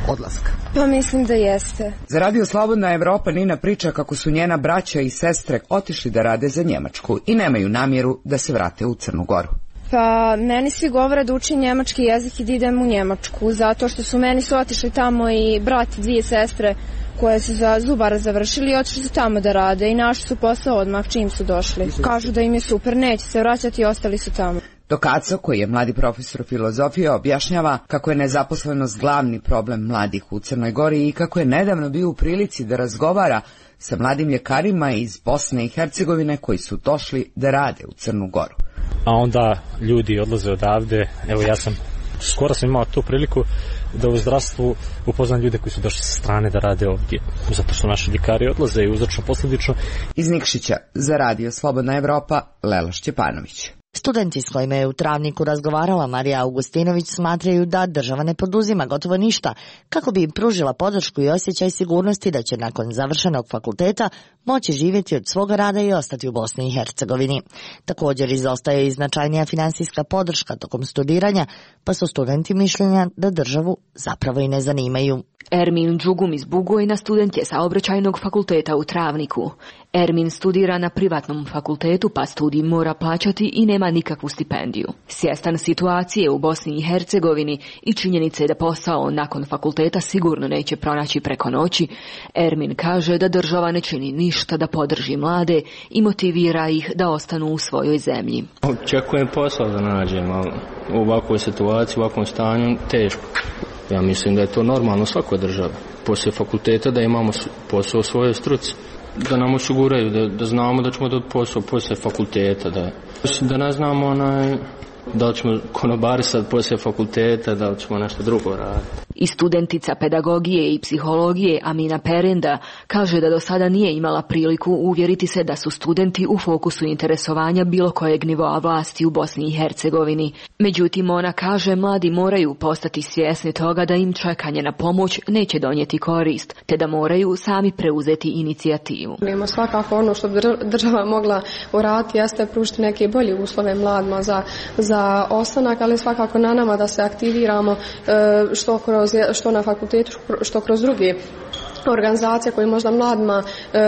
Odlaska? Pa mislim da jeste. Za Radio Slobodna Evropa Nina priča kako su njena braća i sestre otišli da rade za Njemačku i nemaju namjeru da se vrate u Crnu Goru. Pa meni svi govore da učim njemački jezik i da idem u Njemačku, zato što su meni su otišli tamo i brat i dvije sestre koje su za zubara završili i otišli su tamo da rade i našli su posao odmah čim su došli. Kažu da im je super, neće se vraćati i ostali su tamo. Dok Aco, koji je mladi profesor filozofije, objašnjava kako je nezaposlenost glavni problem mladih u Crnoj Gori i kako je nedavno bio u prilici da razgovara sa mladim ljekarima iz Bosne i Hercegovine koji su došli da rade u Crnu Goru. A onda ljudi odlaze odavde, evo ja sam, skoro sam imao tu priliku da u zdravstvu upoznam ljude koji su došli sa strane da rade ovdje, zato što naši ljekari odlaze i uzročno posljedično. Iz Nikšića za Radio Slobodna Evropa, Lela Šćepanović. Studenti s kojima je u Travniku razgovarala Marija Augustinović smatraju da država ne poduzima gotovo ništa kako bi im pružila podršku i osjećaj sigurnosti da će nakon završenog fakulteta moći živjeti od svoga rada i ostati u Bosni i Hercegovini. Također izostaje i značajnija finansijska podrška tokom studiranja, pa su studenti mišljenja da državu zapravo i ne zanimaju. Ermin Đugum iz Bugojna student je Saobraćajnog fakulteta u Travniku. Ermin studira na privatnom fakultetu, pa studij mora plaćati i nema nikakvu stipendiju. Svjestan situacije u Bosni i Hercegovini i činjenice da posao nakon fakulteta sigurno neće pronaći preko noći, Ermin kaže da država ne čini ništa da podrži mlade i motivira ih da ostanu u svojoj zemlji. Očekujem posao da nađem, ali u ovakvoj situaciji, u ovakvom stanju, teško. Ja mislim da je to normalno u svakoj državi. Poslije fakulteta da imamo posao u svojoj struci. Da nam osiguraju, da, da znamo da ćemo dobiti posao poslije fakulteta. Da, da ne znamo onaj, da li ćemo konobarisati poslije fakulteta, da li ćemo nešto drugo raditi. I studentica pedagogije i psihologije Amina Perenda kaže da do sada nije imala priliku uvjeriti se da su studenti u fokusu interesovanja bilo kojeg nivoa vlasti u Bosni i Hercegovini. Međutim, ona kaže mladi moraju postati svjesni toga da im čekanje na pomoć neće donijeti korist, te da moraju sami preuzeti inicijativu. Imamo svakako ono što bi država mogla uraditi jeste pružiti neke bolje uslove mladima za, za ostanak, ali svakako na nama da se aktiviramo što kroz što na fakultetu, što kroz druge organizacije koje možda mladima e,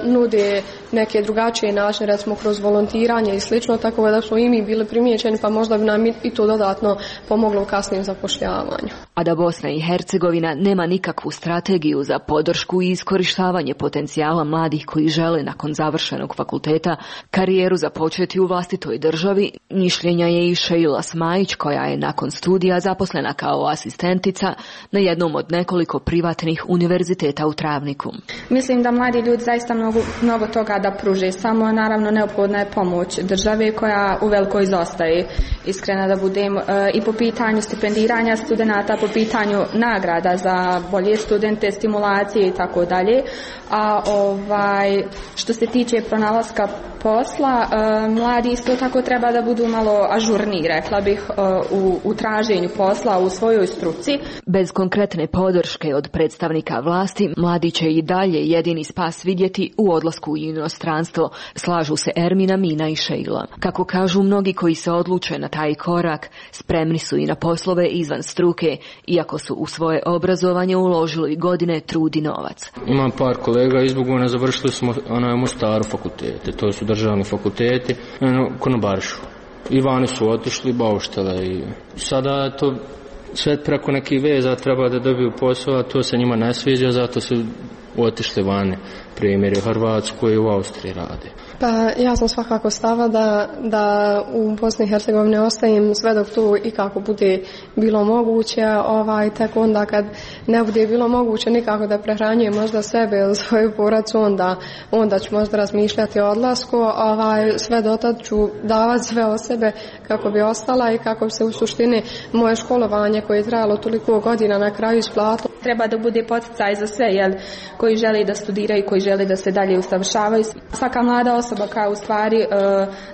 nude neke drugačije načine, recimo kroz volontiranje i slično, tako da smo i mi bili primijećeni, pa možda bi nam i to dodatno pomoglo u kasnijem zapošljavanju. A da Bosna i Hercegovina nema nikakvu strategiju za podršku i iskorištavanje potencijala mladih koji žele nakon završenog fakulteta karijeru započeti u vlastitoj državi, mišljenja je i Šeila Smajić, koja je nakon studija zaposlena kao asistentica na jednom od nekoliko privatnih univerziteta u Travniku. Mislim da mladi ljudi zaista mnogo, mnogo toga da pruže, samo naravno neophodna je pomoć države koja uveliko izostaje. Iskreno da budem, e, i po pitanju stipendiranja studenata, po pitanju nagrada za bolje studente, stimulacije i tako dalje. A ovaj, što se tiče pronalaska posla, e, mladi isto tako treba da budu malo ažurniji, rekla bih, e, u, u traženju posla u svojoj struci. Bez konkretne podrške od predstavnika vlasti, mladi će i dalje jedini spas vidjeti u odlasku u inostranstvo, slažu se Ermina, Mina i Šejla. Kako kažu mnogi koji se odluče na taj korak, spremni su i na poslove izvan struke, iako su u svoje obrazovanje uložili godine, trud i novac. Imam par kolega iz Bugojna, završili smo onaj u Mostaru fakultete, to su državni fakulteti, eno, konobaršu. I vani su otišli, bauštele i sada to sve preko nekih veza treba da dobiju posao, a to se njima ne sviđa, zato su otišli vani. Primjer je Hrvatskoj i u Austriji rade. Pa ja sam svakako stava da, da u Bosni i Hercegovini ostajem sve dok to i kako bude bilo moguće, ovaj, tek onda kad ne bude bilo moguće nikako da prehranjujem možda sebe ili svoju porodicu, onda, onda ću možda razmišljati o odlasku, ovaj, sve dotad ću davati sve o sebe kako bi ostala i kako bi se u suštini moje školovanje koje je trajalo toliko godina na kraju isplatilo. Treba da bude poticaj za sve, jel, koji žele da studiraju, koji žele da se dalje usavršavaju. Svaka mlada osoba koja u stvari e,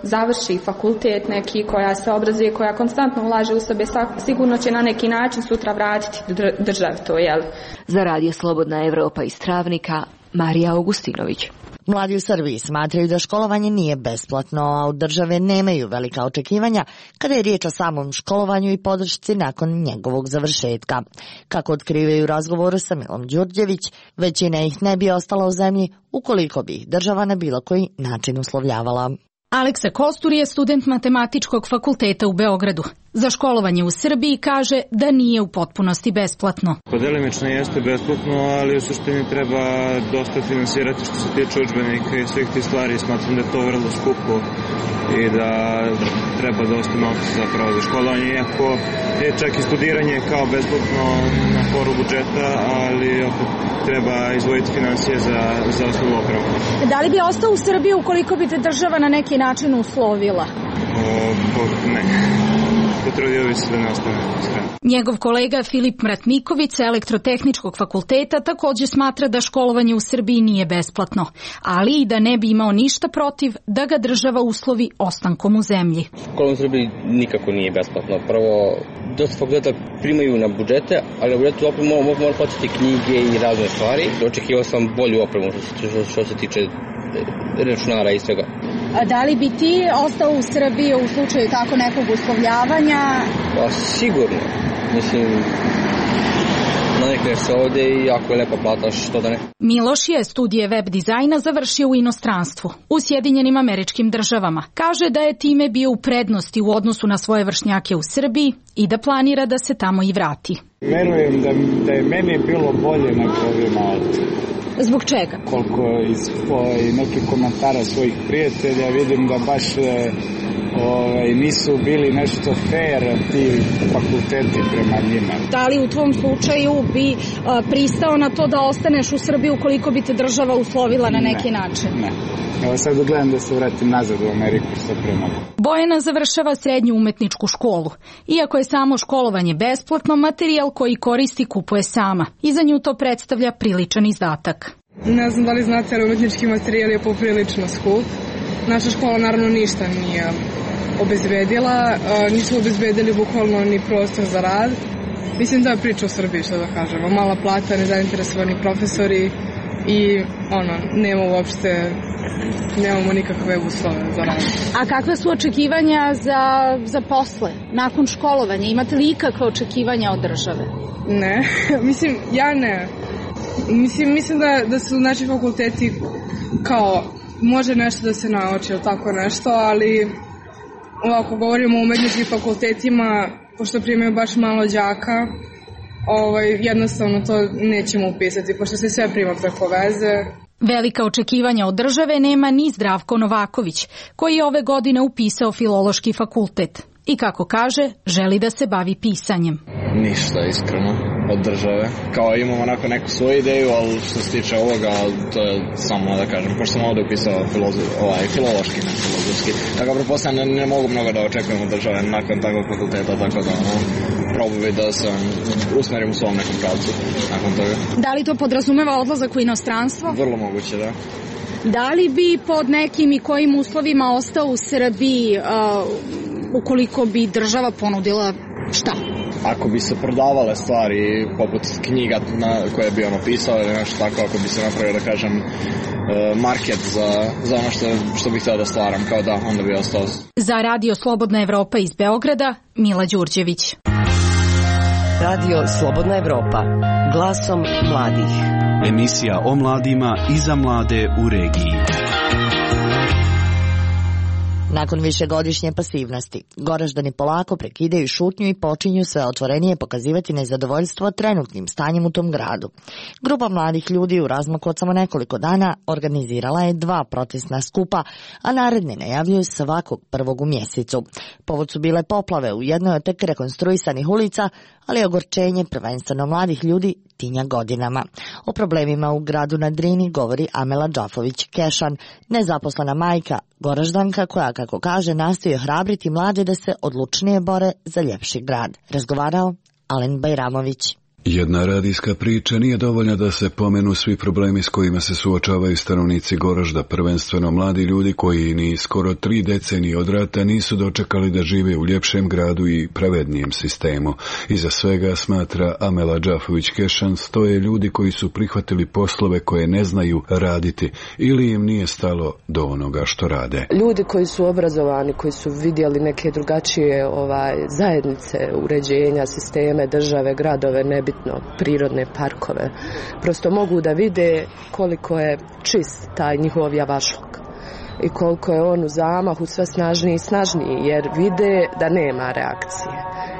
završi fakultet neki, koja se obrazuje, koja konstantno ulaže u sebe, sigurno će na neki način sutra vratiti državi to, jel? Za Radio Slobodna Evropa iz Travnika, Marija Augustinović. Mladi u Srbiji smatraju da školovanje nije besplatno, a od države nemaju velika očekivanja kada je riječ o samom školovanju i podršci nakon njegovog završetka. Kako otkrivaju u razgovoru sa Milom Đurđević, većina ih ne bi ostala u zemlji ukoliko bi ih država na bilo koji način uslovljavala. Aleksa Kostur je student Matematičkog fakulteta u Beogradu. Za školovanje u Srbiji kaže da nije u potpunosti besplatno. Delimično jeste besplatno, ali u suštini treba dosta finansirati što se tiče udžbenika i svih tih stvari. Smatram da je to vrlo skupo i da treba dosta novca zapravo za školovanje, iako je čak i studiranje kao besplatno na foru budžeta, ali opet treba izvojiti finansije za, za osnovu opremu. Da li bi ostao u Srbiji ukoliko bi te država na neki način uslovila? O, ne. Potrudio bi se da ne ostane strane. Njegov kolega Filip Mratniković sa Elektrotehničkog fakulteta također smatra da školovanje u Srbiji nije besplatno, ali i da ne bi imao ništa protiv da ga država uslovi ostankom u zemlji. Školovanje u Srbiji nikako nije besplatno. Prvo, dosta fakulteta primaju na budžete, ali na budžetu opet mogu mogu plaćati knjige i razne stvari. Očekivao sam bolju opremu što, što se tiče računara i svega. A da li bi ti ostao u Srbiji u slučaju tako nekog uslovljavanja? Pa sigurno. Mislim, navikneš se ovde i jako je lepa plata, što da ne. Miloš je studije web dizajna završio u inostranstvu, u Sjedinjenim Američkim Državama. Kaže da je time bio u prednosti u odnosu na svoje vršnjake u Srbiji i da planira da se tamo i vrati. Verujem da, da je meni bilo bolje nego ovima ovdje. Zbog čega? Koliko iz nekih komentara svojih prijatelja vidim da baš e, ovaj, nisu bili nešto fair ti fakulteti prema njima. Da li u tvom slučaju bi a, pristao na to da ostaneš u Srbiji ukoliko bi te država uslovila na neki ne, način? Ne. Evo sad gledam da se vratim nazad u Ameriku što prema. Bojana završava srednju umetničku školu. Iako je samo školovanje besplatno, materijal koji koristi kupuje sama. I za nju to predstavlja priličan izdatak. Ne znam da li znate, ali umetnički materijal je poprilično skup. Naša škola naravno ništa nije obezbedila, nisu obezbedili bukvalno ni prostor za rad. Mislim da je priča u Srbiji, što da kažemo. Mala plata, nezainteresovani profesori i ono, nema uopšte, nemamo nikakve uslove za rad. A kakve su očekivanja za, za posle, nakon školovanja? Imate li ikakve očekivanja od države? Ne, mislim, ja ne. Mislim, mislim da, da su naši fakulteti kao, može nešto da se nauči ili tako nešto, ali ovako govorimo o umetničkim fakultetima, pošto primaju baš malo đaka, ovaj, jednostavno to nećemo upisati, pošto se sve prima preko veze. Velika očekivanja od države nema ni Zdravko Novaković, koji je ove godine upisao Filološki fakultet. I kako kaže, želi da se bavi pisanjem. Ništa, iskreno, od države. Kao imamo onako neku svoju ideju, ali što se tiče ovoga, to je samo da kažem, pošto sam ovdje upisao filozof, ovaj, filološki, ne filozofski. Tako pretpostavljam ne, ne mogu mnogo da očekujem od države nakon takvog fakulteta, tako da ono, probuj da se usmerim u svom nekom pravcu nakon toga. Da li to podrazumeva odlazak u inostranstvo? Vrlo moguće, da. Da li bi pod nekim i kojim uslovima ostao u Srbiji uh, ukoliko bi država ponudila šta? Ako bi se prodavale stvari poput knjiga na koje bi ono pisao ili nešto tako, ako bi se napravio, da kažem, market za, za ono što, što bih htio da stvaram, kao da, onda bi ostao. Za Radio Slobodna Evropa iz Beograda, Mila Đurđević. Radio Slobodna Evropa, glasom mladih. Emisija o mladima i za mlade u regiji. Nakon višegodišnje pasivnosti, Goraždani polako prekidaju šutnju i počinju sve otvorenije pokazivati nezadovoljstvo trenutnim stanjem u tom gradu. Grupa mladih ljudi u razmaku od samo nekoliko dana organizirala je dva protestna skupa, a naredne najavljuju svakog prvog u mjesecu. Povod su bile poplave u jednoj od tek rekonstruisanih ulica, ali ogorčenje prvenstveno mladih ljudi tinja godinama. O problemima u gradu na Drini govori Amela Džafović-Kešan, nezaposlena majka, Goraždanka koja, kako kaže, nastoji ohrabriti mlade da se odlučnije bore za ljepši grad. Razgovarao Alen Bajramović. Jedna radijska priča nije dovoljna da se pomenu svi problemi s kojima se suočavaju stanovnici Goražda, prvenstveno mladi ljudi koji ni skoro tri decenije od rata nisu dočekali da žive u ljepšem gradu i pravednijem sistemu. Iza svega, smatra Amela Džafović-Kešan, stoje ljudi koji su prihvatili poslove koje ne znaju raditi ili im nije stalo do onoga što rade. Ljudi koji su obrazovani, koji su vidjeli neke drugačije ovaj, zajednice, uređenja, sisteme, države, gradove, nebitno, prirodne parkove, prosto mogu da vide koliko je čist taj njihov javašluk. i koliko je on u zamahu sve snažniji i snažniji, jer vide da nema reakcije,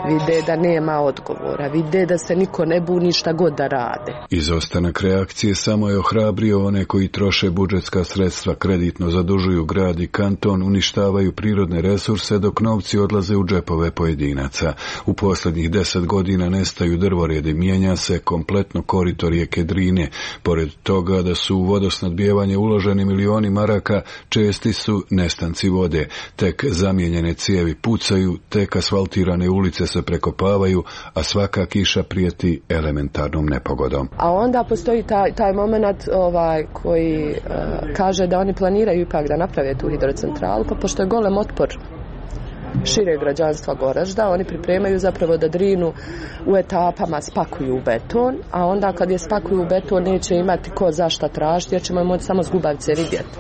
vide da nema odgovora, vide da se niko ne buni šta god da rade. Izostanak reakcije samo je ohrabrio one koji troše budžetska sredstva, kreditno zadužuju grad i kanton, uništavaju prirodne resurse dok novci odlaze u džepove pojedinaca. U posljednjih deset godina nestaju drvoredi, mijenja se kompletno korito rijeke Drine. Pored toga da su u vodosnadbijevanje uloženi milioni maraka, česti su nestanci vode. Tek zamijenjene cijevi pucaju, tek asfaltirane ulice se prekopavaju, a svaka kiša prijeti elementarnom nepogodom. A onda postoji taj, taj moment ovaj, koji uh, kaže da oni planiraju ipak da naprave tu hidrocentralu, pa pošto je golem otpor šire građanstva Goražda, oni pripremaju zapravo da Drinu u etapama spakuju u beton, a onda kad je spakuju u beton neće imati ko zašta tražiti, jer ćemo je moći samo zgubavce vidjeti.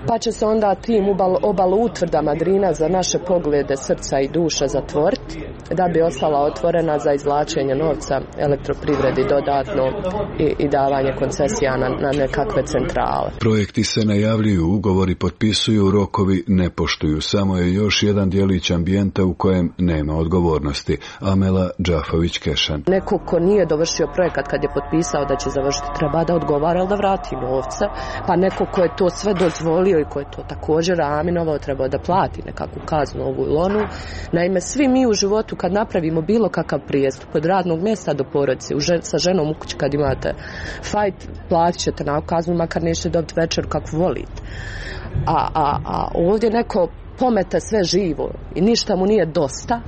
Pa će se onda tim obalu utvrdama Drina za naše poglede, srca i duša zatvoriti, da bi ostala otvorena za izvlačenje novca elektroprivredi dodatno i, i davanje koncesija na, na nekakve centrale. Projekti se najavljuju, ugovori potpisuju, rokovi ne poštuju. Samo je još jedan djelić ambijenta u kojem nema odgovornosti. Amela Džafović-Kešan. Neko ko nije dovršio projekat kad je potpisao da će završiti, treba da odgovara ili da vrati novca, pa neko ko je to sve dozvolio i ko je to također aminovao trebao da plati nekakvu kaznu ovu ili onu. Naime, svi mi u životu kad napravimo bilo kakav prijestup od radnog mjesta do porodice, žen, sa ženom u kući kad imate fajt, platit ćete na kaznu, makar nećete dobiti večer kakvu volite. A, a, a ovdje neko pomete sve živo i ništa mu nije dosta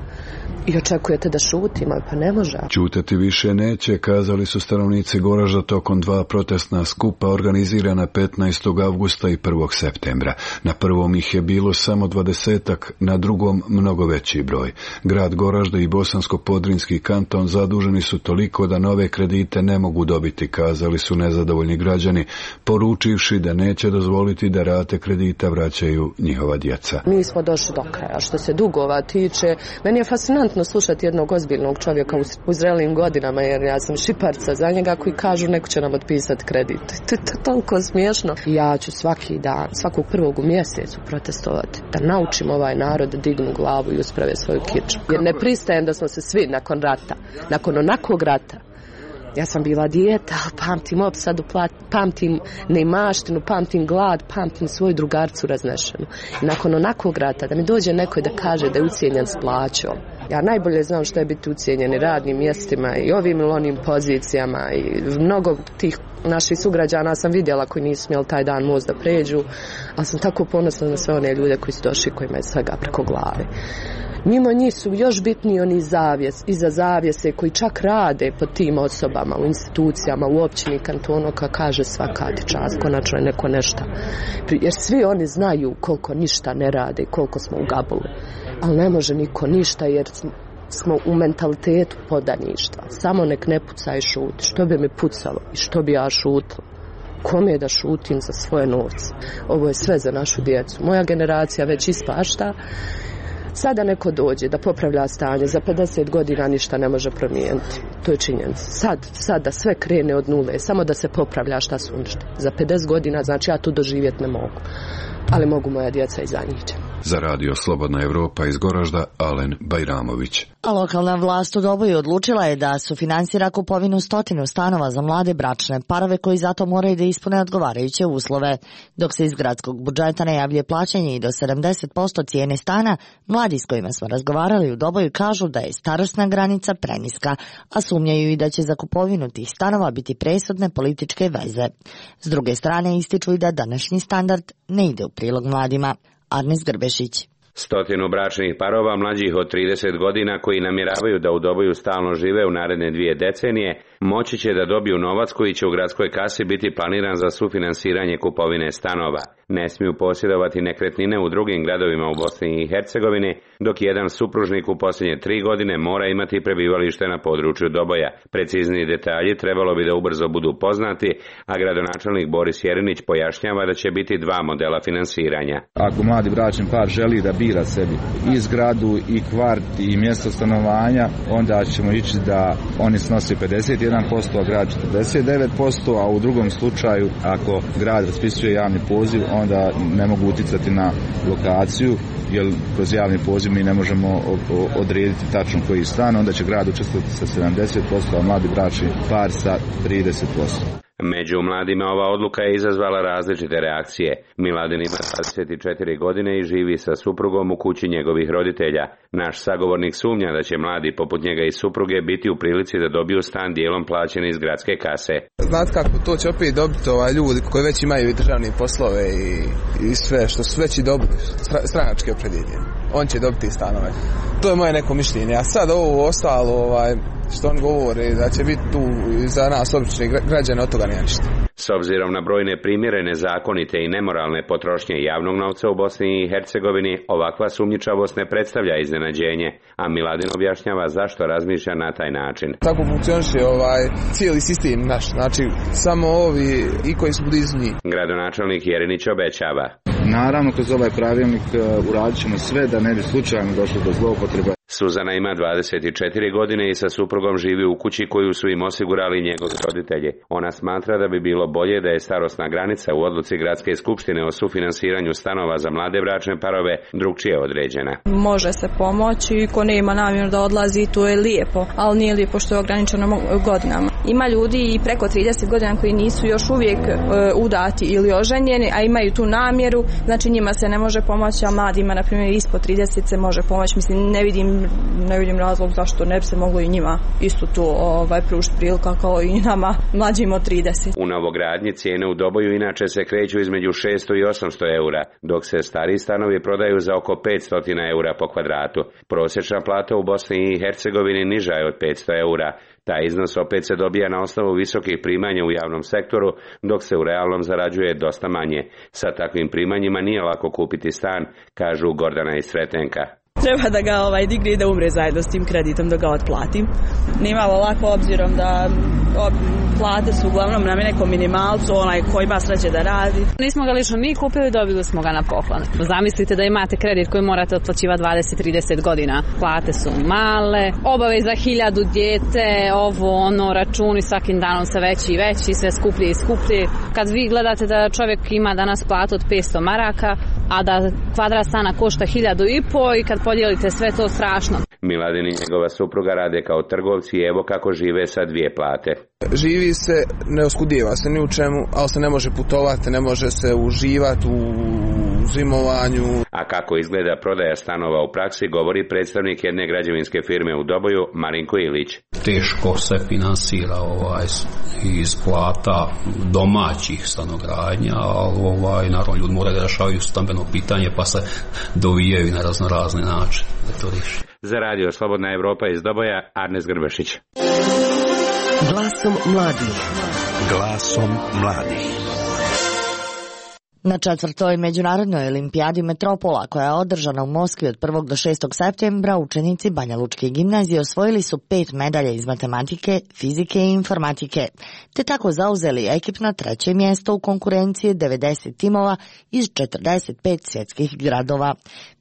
i očekujete da šutimo, pa ne može. Ćutati više neće, kazali su stanovnici Goražda tokom dva protestna skupa organizirana petnaestog avgusta i prvog septembra. Na prvom ih je bilo samo dvadesetak, na drugom mnogo veći broj. Grad Goražda i Bosansko-Podrinski kanton zaduženi su toliko da nove kredite ne mogu dobiti, kazali su nezadovoljni građani, poručivši da neće dozvoliti da rate kredita vraćaju njihova djeca. Mi smo došli do kraja. Što se dugova tiče, meni je fascinantno slušati jednog ozbiljnog čovjeka u zrelim godinama, jer ja sam šiparca za njega, koji kažu neko će nam otpisati kredit. To je toliko smiješno. Ja ću svaki dan, svakog prvog u mjesecu protestovati, da naučim ovaj narod da dignu glavu i usprave svoju kiču. Jer ne pristajem da smo se svi nakon rata, nakon onakvog rata, ja sam bila dijete, ali pamtim opsadu, pamtim neimaštinu, pamtim glad, pamtim svoju drugarcu raznešenu. I nakon onakvog rata, da mi dođe neko da kaže da je ucijenjen s plaćom. Ja najbolje znam što je biti ucijenjeni radnim mjestima i ovim ili onim pozicijama i mnogo tih naših sugrađana sam vidjela koji nisu smjeli taj dan most da pređu, ali sam tako ponosna na sve one ljude koji su došli, kojima je svega preko glave. Mimo njih su još bitniji oni zavjes, iza zavjese koji čak rade pod tim osobama, u institucijama, u općini, kantonu, kao kaže svaka ti čast, konačno je neko nešto. Jer svi oni znaju koliko ništa ne rade i koliko smo u gabuli. Ali ne može niko ništa jer smo u mentalitetu podaništva. Samo nek ne puca i šuti. Što bi mi pucalo i što bi ja šutila? Kome je da šutim za svoje novce? Ovo je sve za našu djecu. Moja generacija već ispašta. Sada neko dođe da popravlja stanje, za pedeset godina ništa ne može promijeniti. To je činjenica. Sad, sad da sve krene od nule, samo da se popravlja šta su uništili. Za pedeset godina, znači ja tu doživjeti ne mogu. Ali mogu moja djeca i za njih. Za radio Slobodna Evropa iz Goražda, Alen Bajramović. A lokalna vlast u Doboju odlučila je da sufinansira kupovinu stotinu stanova za mlade bračne parove koji zato moraju da ispune odgovarajuće uslove. Dok se iz gradskog budžeta najavljuje plaćanje i do sedamdeset posto cijene stana, mladi s kojima smo razgovarali u Doboju kažu da je starosna granica preniska, a sumnjaju i da će za kupovinu tih stanova biti presudne političke veze. S druge strane ističu i da današnji standard ne ide u prilog mladima. Arnes Grbešić. Stotinu bračnih parova mlađih od trideset godina koji namjeravaju da u Doboju stalno žive u naredne dvije decenije, moći će da dobiju novac koji će u gradskoj kasi biti planiran za sufinansiranje kupovine stanova. Ne smiju posjedovati nekretnine u drugim gradovima u Bosni i Hercegovini, dok jedan supružnik u posljednje tri godine mora imati prebivalište na području Doboja. Precizniji detalji trebalo bi da ubrzo budu poznati, a gradonačelnik Boris Jerinić pojašnjava da će biti dva modela finansiranja. Ako mladi bračni par želi da bira sebi i zgradu i kvart i mjesto stanovanja, onda ćemo ići da oni snose pedeset jedan jedan posto, a grad četrdeset devet posto, a u drugom slučaju ako grad raspisuje javni poziv, onda ne mogu uticati na lokaciju, jer kroz javni poziv mi ne možemo odrediti tačno koji stan, onda će grad učestvovati sa sedamdeset posto, a mladi bračni par sa trideset posto. Među mladima ova odluka je izazvala različite reakcije. Miladin ima dvadeset četiri godine i živi sa suprugom u kući njegovih roditelja. Naš sagovornik sumnja da će mladi poput njega i supruge biti u prilici da dobiju stan dijelom plaćen iz gradske kase. Znate kako, to će opet dobiti ovaj ljudi koji već imaju i državne poslove i, i sve što su već i dobili, stranačke opredjeljenje. On će dobiti stanove. To je moje neko mišljenje. A sad ovo ostalo, ovaj, što on govori, da će biti tu za nas obični građani, od toga nije ništa. S obzirom na brojne primjere nezakonite i nemoralne potrošnje javnog novca u Bosni i Hercegovini, ovakva sumnjičavost ne predstavlja iznenađenje, a Miladin objašnjava zašto razmišlja na taj način. Tako funkcioniše ovaj cijeli sistem naš, znači samo ovi i koji su blizu njih. Gradonačelnik Jerinić obećava. Naravno, kroz ovaj pravilnik uradit ćemo sve da ne bi slučajno došlo do zloupotrebe. Suzana ima dvadeset četiri godine i sa suprugom živi u kući koju su im osigurali njegovi roditelji. Ona smatra da bi bilo bolje da je starosna granica u odluci Gradske skupštine o sufinansiranju stanova za mlade bračne parove drugčije određena. Može se pomoći, ko nema namjeru da odlazi, to je lijepo, ali nije lijepo što je ograničeno godinama. Ima ljudi i preko trideset godina koji nisu još uvijek e, udati ili oženjeni, a imaju tu namjeru, znači njima se ne može pomoći, a mladima, na primjer, ispod trideset se može pomoći. Mislim, ne vidim ne vidim razlog zašto ne bi se moglo i njima isto to ovaj, pružiti prilika kao i nama mlađim od trideset. U novogradnji cijene u Doboju inače se kreću između šesto i osamsto eura, dok se stari stanovi prodaju za oko petsto eura po kvadratu. Prosječna plata u Bosni i Hercegovini niža je od petsto eura. Taj iznos opet se dobija na osnovu visokih primanja u javnom sektoru, dok se u realnom zarađuje dosta manje. Sa takvim primanjima nije lako kupiti stan, kažu Gordana i Sretenka. Treba da ga ovaj, digne i da umre zajedno s tim kreditom, da ga otplatim. Nije malo lako obzirom da ob, plate su uglavnom na nekom minimalcu, onaj ko ima sreće da radi. Nismo ga lično ni kupili, dobili smo ga na poklon. Zamislite da imate kredit koji morate otplaćivati dvadeset do trideset godina. Plate su male, obaveza hiljadu dijete, ovo, ono, računi svakim danom se veći i veći, sve skuplje i skuplje. Kad vi gledate da čovjek ima danas platu od petsto maraka, a da kvadrat stana košta hiljadu i po i kad podijelite sve to strašno. Miladin i njegova supruga rade kao trgovci i evo kako žive sa dvije plate. Živi se, ne oskudijeva se ni u čemu, ali se ne može putovati, ne može se uživati u zimovanju. A kako izgleda prodaja stanova u praksi, govori predstavnik jedne građevinske firme u Doboju, Marinko Ilić. Teško se finansira ovaj iz plata domaćih stanogradnja, ali ovaj, naravno ljudi moraju da rešavaju stambeno pitanje pa se dovijaju na razno razne načine da to riješi. Za radio Slobodna Evropa iz Doboja, Arnes Grbešić. Glasom mladih. Glasom mladih. Na četvrtoj međunarodnoj olimpijadi Metropola, koja je održana u Moskvi od prvog do šestog septembra, učenici Banja Lučke gimnazije osvojili su pet medalja iz matematike, fizike i informatike, te tako zauzeli ekipno treće mjesto u konkurenciji devedeset timova iz četrdeset pet svjetskih gradova.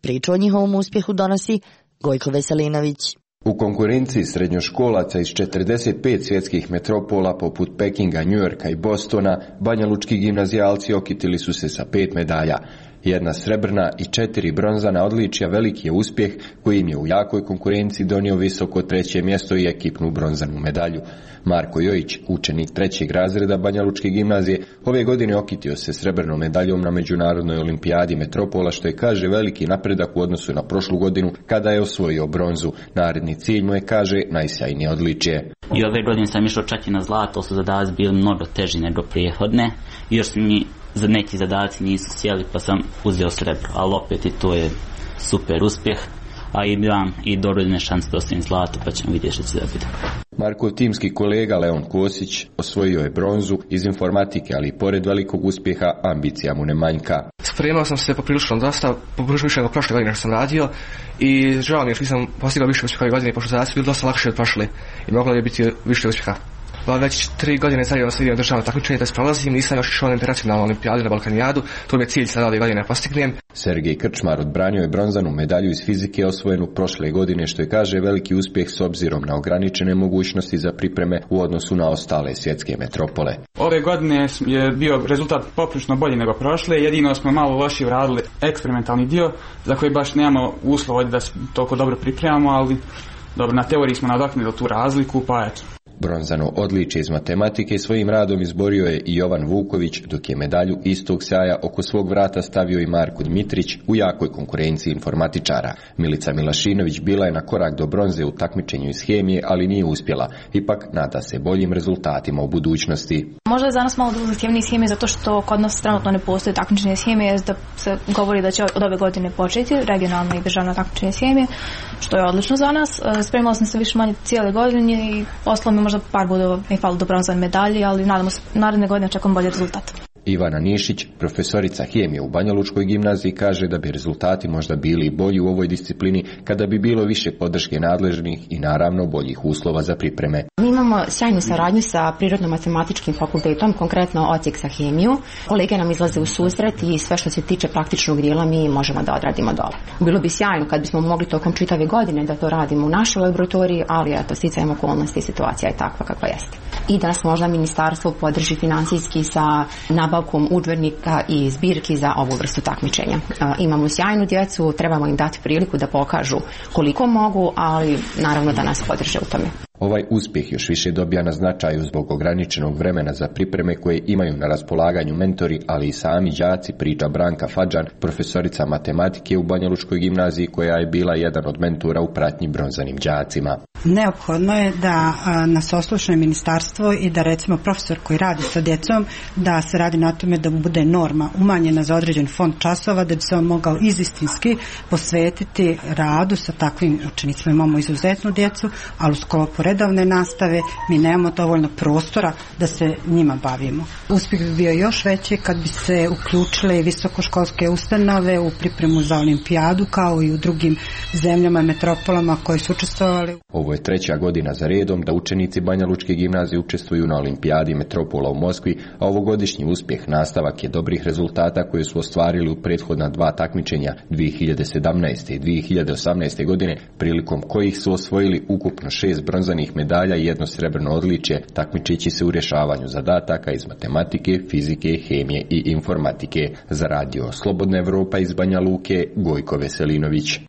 Priču o njihovom uspjehu donosi Gojko Veselinović. U konkurenciji srednjoškolaca iz četrdeset pet svjetskih metropola poput Pekinga, Njujorka i Bostona, banjalučki gimnazijalci okitili su se sa pet medalja. Jedna srebrna i četiri bronzana odličja veliki je uspjeh koji im je u jakoj konkurenciji donio visoko treće mjesto i ekipnu bronzanu medalju. Marko Jojić, učenik trećeg razreda Banjalučke gimnazije, ove godine okitio se srebrnom medaljom na međunarodnoj olimpijadi Metropola, što je, kaže, veliki napredak u odnosu na prošlu godinu kada je osvojio bronzu. Naredni cilj mu je, kaže, najsjajnije odličje. I ove godine sam išao čak i na zlato, su zadaci bili mnogo teži nego prijehodne. Još su mi za neki zadaci nisu sjeli pa sam uzeo srebro, ali opet i to je super uspjeh, a imam i dovoljne šanse da ostavim zlato pa ćemo vidjeti što će da bude. Markov timski kolega Leon Kosić osvojio je bronzu iz informatike, ali i pored velikog uspjeha ambicija mu ne manjka. Spremao sam se poprilično dosta, poprilično više nego prošle godine što sam radio i žao mi je što nisam postigao više uspjeha ove godine, pošto zadaci bili dosta lakše od prošle i moglo je biti više uspjeha. Već tri godine zajedno sam vidio državno takmičenje da se prolazim, nisam još išao na internacionalnu olimpijadu na Balkanijadu, to mi je cilj sada ove godine postignem. Sergej Krčmar odbranio je bronzanu medalju iz fizike osvojenu prošle godine, što je, kaže, veliki uspjeh s obzirom na ograničene mogućnosti za pripreme u odnosu na ostale svjetske metropole. Ove godine je bio rezultat poprilično bolji nego prošle, jedino smo malo lošije uradili eksperimentalni dio za koji baš nemamo uslova da se toliko dobro pripremamo, ali dobro, na teoriji smo nadoknadili tu razliku, pa eto. Bronzano odličje iz matematike svojim radom izborio je i Jovan Vuković, dok je medalju istog sjaja oko svog vrata stavio i Marko Dmitrić u jakoj konkurenciji informatičara. Milica Milašinović bila je na korak do bronze u takmičenju iz hemije, ali nije uspjela. Ipak nada se boljim rezultatima u budućnosti. Možda je za nas malo zahtjevniji iz hemije zato što kod nas trenutno ne postoji takmičenje iz hemije, da se govori da će od ove godine početi regionalna i državna takmičenje iz hemije, što je odlično za nas. Spremala sam se više manje cijele godine i poslala mi možda par bodova i falo do bronzane medalje, ali nadamo se naredne godine očekujem bolji rezultat. Ivana Nišić, profesorica hemije u Banjalučkoj gimnaziji, kaže da bi rezultati možda bili bolji u ovoj disciplini kada bi bilo više podrške nadležnih i naravno boljih uslova za pripreme. Mi imamo sjajnu saradnju sa Prirodno-matematičkim fakultetom, konkretno odsjek za hemiju. Kolege nam izlaze u susret i sve što se tiče praktičnog dijela mi možemo da odradimo dole. Bilo bi sjajno kad bismo mogli tokom čitave godine da to radimo u našoj laboratoriji, ali eto, sticajem okolnosti i situacija je takva kakva jeste. I da nas možda ministarstvo podrži financijski sa nabavkom udžbenika i zbirki za ovu vrstu takmičenja. E, imamo sjajnu djecu, trebamo im dati priliku da pokažu koliko mogu, ali naravno da nas podrže u tome. Ovaj uspjeh još više dobija na značaju zbog ograničenog vremena za pripreme koje imaju na raspolaganju mentori, ali i sami đaci, priča Branka Fadžan, profesorica matematike u Banjalučkoj gimnaziji, koja je bila jedan od mentora u pratnji bronzanim đacima. Neophodno je da nas oslušne ministarstvo i da recimo profesor koji radi sa djecom, da se radi na tome da bude norma umanjena za određen fond časova, da bi se on mogao izistinski posvetiti radu sa takvim učenicima. Imamo izuzetnu djecu, ali u sklopu redovne nastave mi nemamo dovoljno prostora da se njima bavimo. Uspjeh bi bio još veći kad bi se uključile visokoškolske ustanove u pripremu za olimpijadu, kao i u drugim zemljama i metropolama koji su učestvovali. Ovo je treća godina za redom da učenici Banjalučke gimnazije učestvuju na olimpijadi metropola u Moskvi, a ovogodišnji uspjeh nastavak je dobrih rezultata koje su ostvarili u prethodna dva takmičenja dvije hiljade sedamnaeste i dvije hiljade osamnaeste godine, prilikom kojih su osvojili ukupno šest bronzanih medalja i jedno srebrno odličje, takmičeći se u rješavanju zadataka iz matematike, fizike, hemije i informatike. Za radio Slobodna Evropa iz Banja Luke, Gojko Veselinović.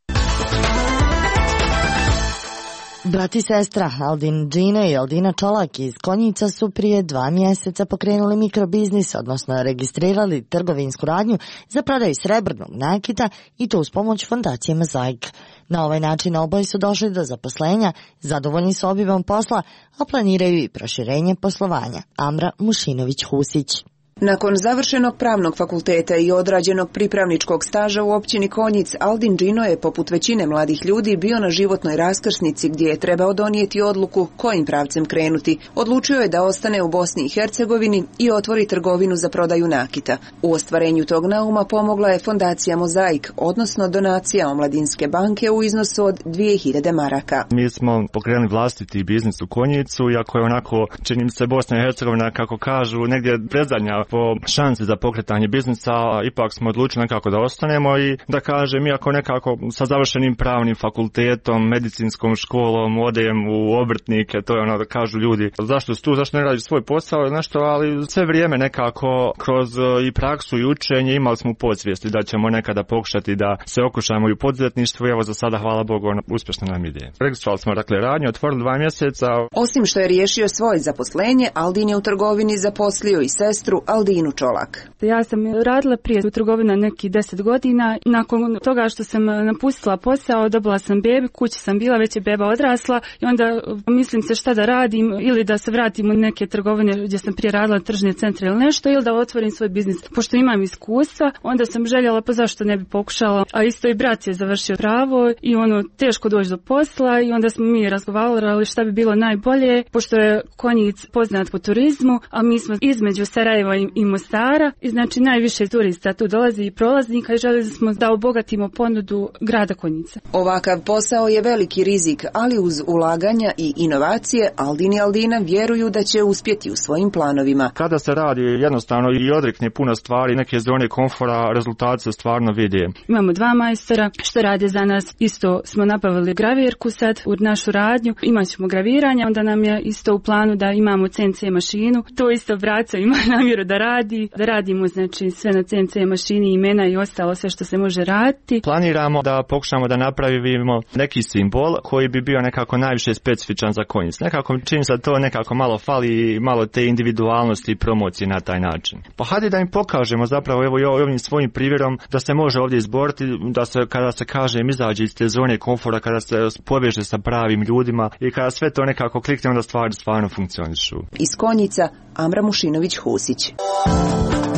Brat i sestra Aldin Džine i Aldina Čolak iz Konjica su prije dva mjeseca pokrenuli mikrobiznis, odnosno registrirali trgovinsku radnju za prodaju srebrnog nakita i to uz pomoć fondacije Mozaik. Na ovaj način oboje su došli do zaposlenja, zadovoljni su obimom posla, a planiraju i proširenje poslovanja. Amra Mušinović-Husić. Nakon završenog pravnog fakulteta i odrađenog pripravničkog staža u općini Konjic, Aldin Džino je, poput većine mladih ljudi, bio na životnoj raskrsnici gdje je trebao donijeti odluku kojim pravcem krenuti. Odlučio je da ostane u Bosni i Hercegovini i otvori trgovinu za prodaju nakita. U ostvarenju tog nauma pomogla je fondacija Mozaik, odnosno donacija Omladinske banke u iznosu od dvije hiljade maraka. Mi smo pokrenuli vlastiti biznis u Konjicu, iako je onako, čini mi se, Bosna i Hercegovina, kako kažu, negdje predzadnja po šansi za pokretanje biznisa, ipak smo odlučili nekako da ostanemo i da kažem, iako nekako sa završenim pravnim fakultetom, medicinskom školom, odem u obrtnike, to je ono da kažu ljudi, zašto su tu, zašto ne radi svoj posao, nešto, ali sve vrijeme nekako kroz i praksu i učenje imali smo podsvijesti da ćemo nekada pokušati da se okušamo i u poduzetništvu i evo za sada, hvala Bogu, uspješno nam ide. Registrovali smo dakle radnju, otvorili dva mjeseca. Osim što je riješio svoje zaposlenje, Aldin je u trgovini zaposlio i sestru Aldinu Čolak. Ja sam radila prije u trgovini nekih deset godina. Nakon toga što sam napustila posao, dobila sam bebi, kući sam bila, već je beba odrasla i onda mislim se šta da radim, ili da se vratim u neke trgovine gdje sam prije radila, tržne centre ili nešto, ili da otvorim svoj biznis. Pošto imam iskustva, onda sam željela pa zašto ne bi pokušala. A isto i brat je završio pravo i ono teško doći do posla i onda smo mi razgovarali šta bi bilo najbolje, pošto je Konjic poznat po turizmu, a mi smo između Sarajeva i i Mostara i znači najviše turista tu dolazi i prolaznika i želeli smo da obogatimo ponudu grada Konjica. Ovakav posao je veliki rizik, ali uz ulaganja i inovacije Aldin i Aldina vjeruju da će uspjeti u svojim planovima. Kada se radi jednostavno i odrekne puno stvari, neke zone komfora, rezultati se stvarno vide. Imamo dva majstora što rade za nas, isto smo nabavili gravirku sad u našu radnju, imat ćemo graviranje, onda nam je isto u planu da imamo C N C mašinu, to isto braco ima namjeru da radi, da radimo znači sve na C N C mašini, imena i ostalo sve što se može raditi. Planiramo da pokušamo da napravimo neki simbol koji bi bio nekako najviše specifičan za Konjic. Nekako čini se to nekako malo fali, malo te individualnosti i promocije na taj način. Pa hajde da im pokažemo zapravo evo i ovim svojim primjerom da se može ovdje izboriti, da se kada se kaže im izađe iz te zone komfora, kada se poveže sa pravim ljudima i kada sve to nekako klikne, onda stvari stvarno funkcionišu. Iz Konjica Amra Mušinović-Husić.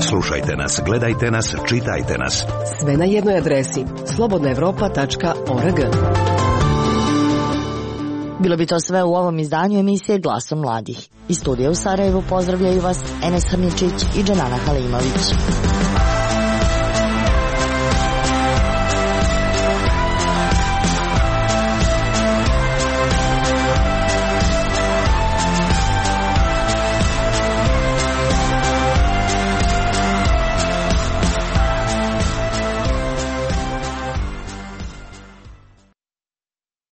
Slušajte nas, gledajte nas, čitajte nas. Sve na jednoj adresi slobodna evropa tačka org. Bilo bi to sve u ovom izdanju emisije Glasom mladih. Iz studija u Sarajevu pozdravljaju vas Enes Hrničić i Dženana Halimović.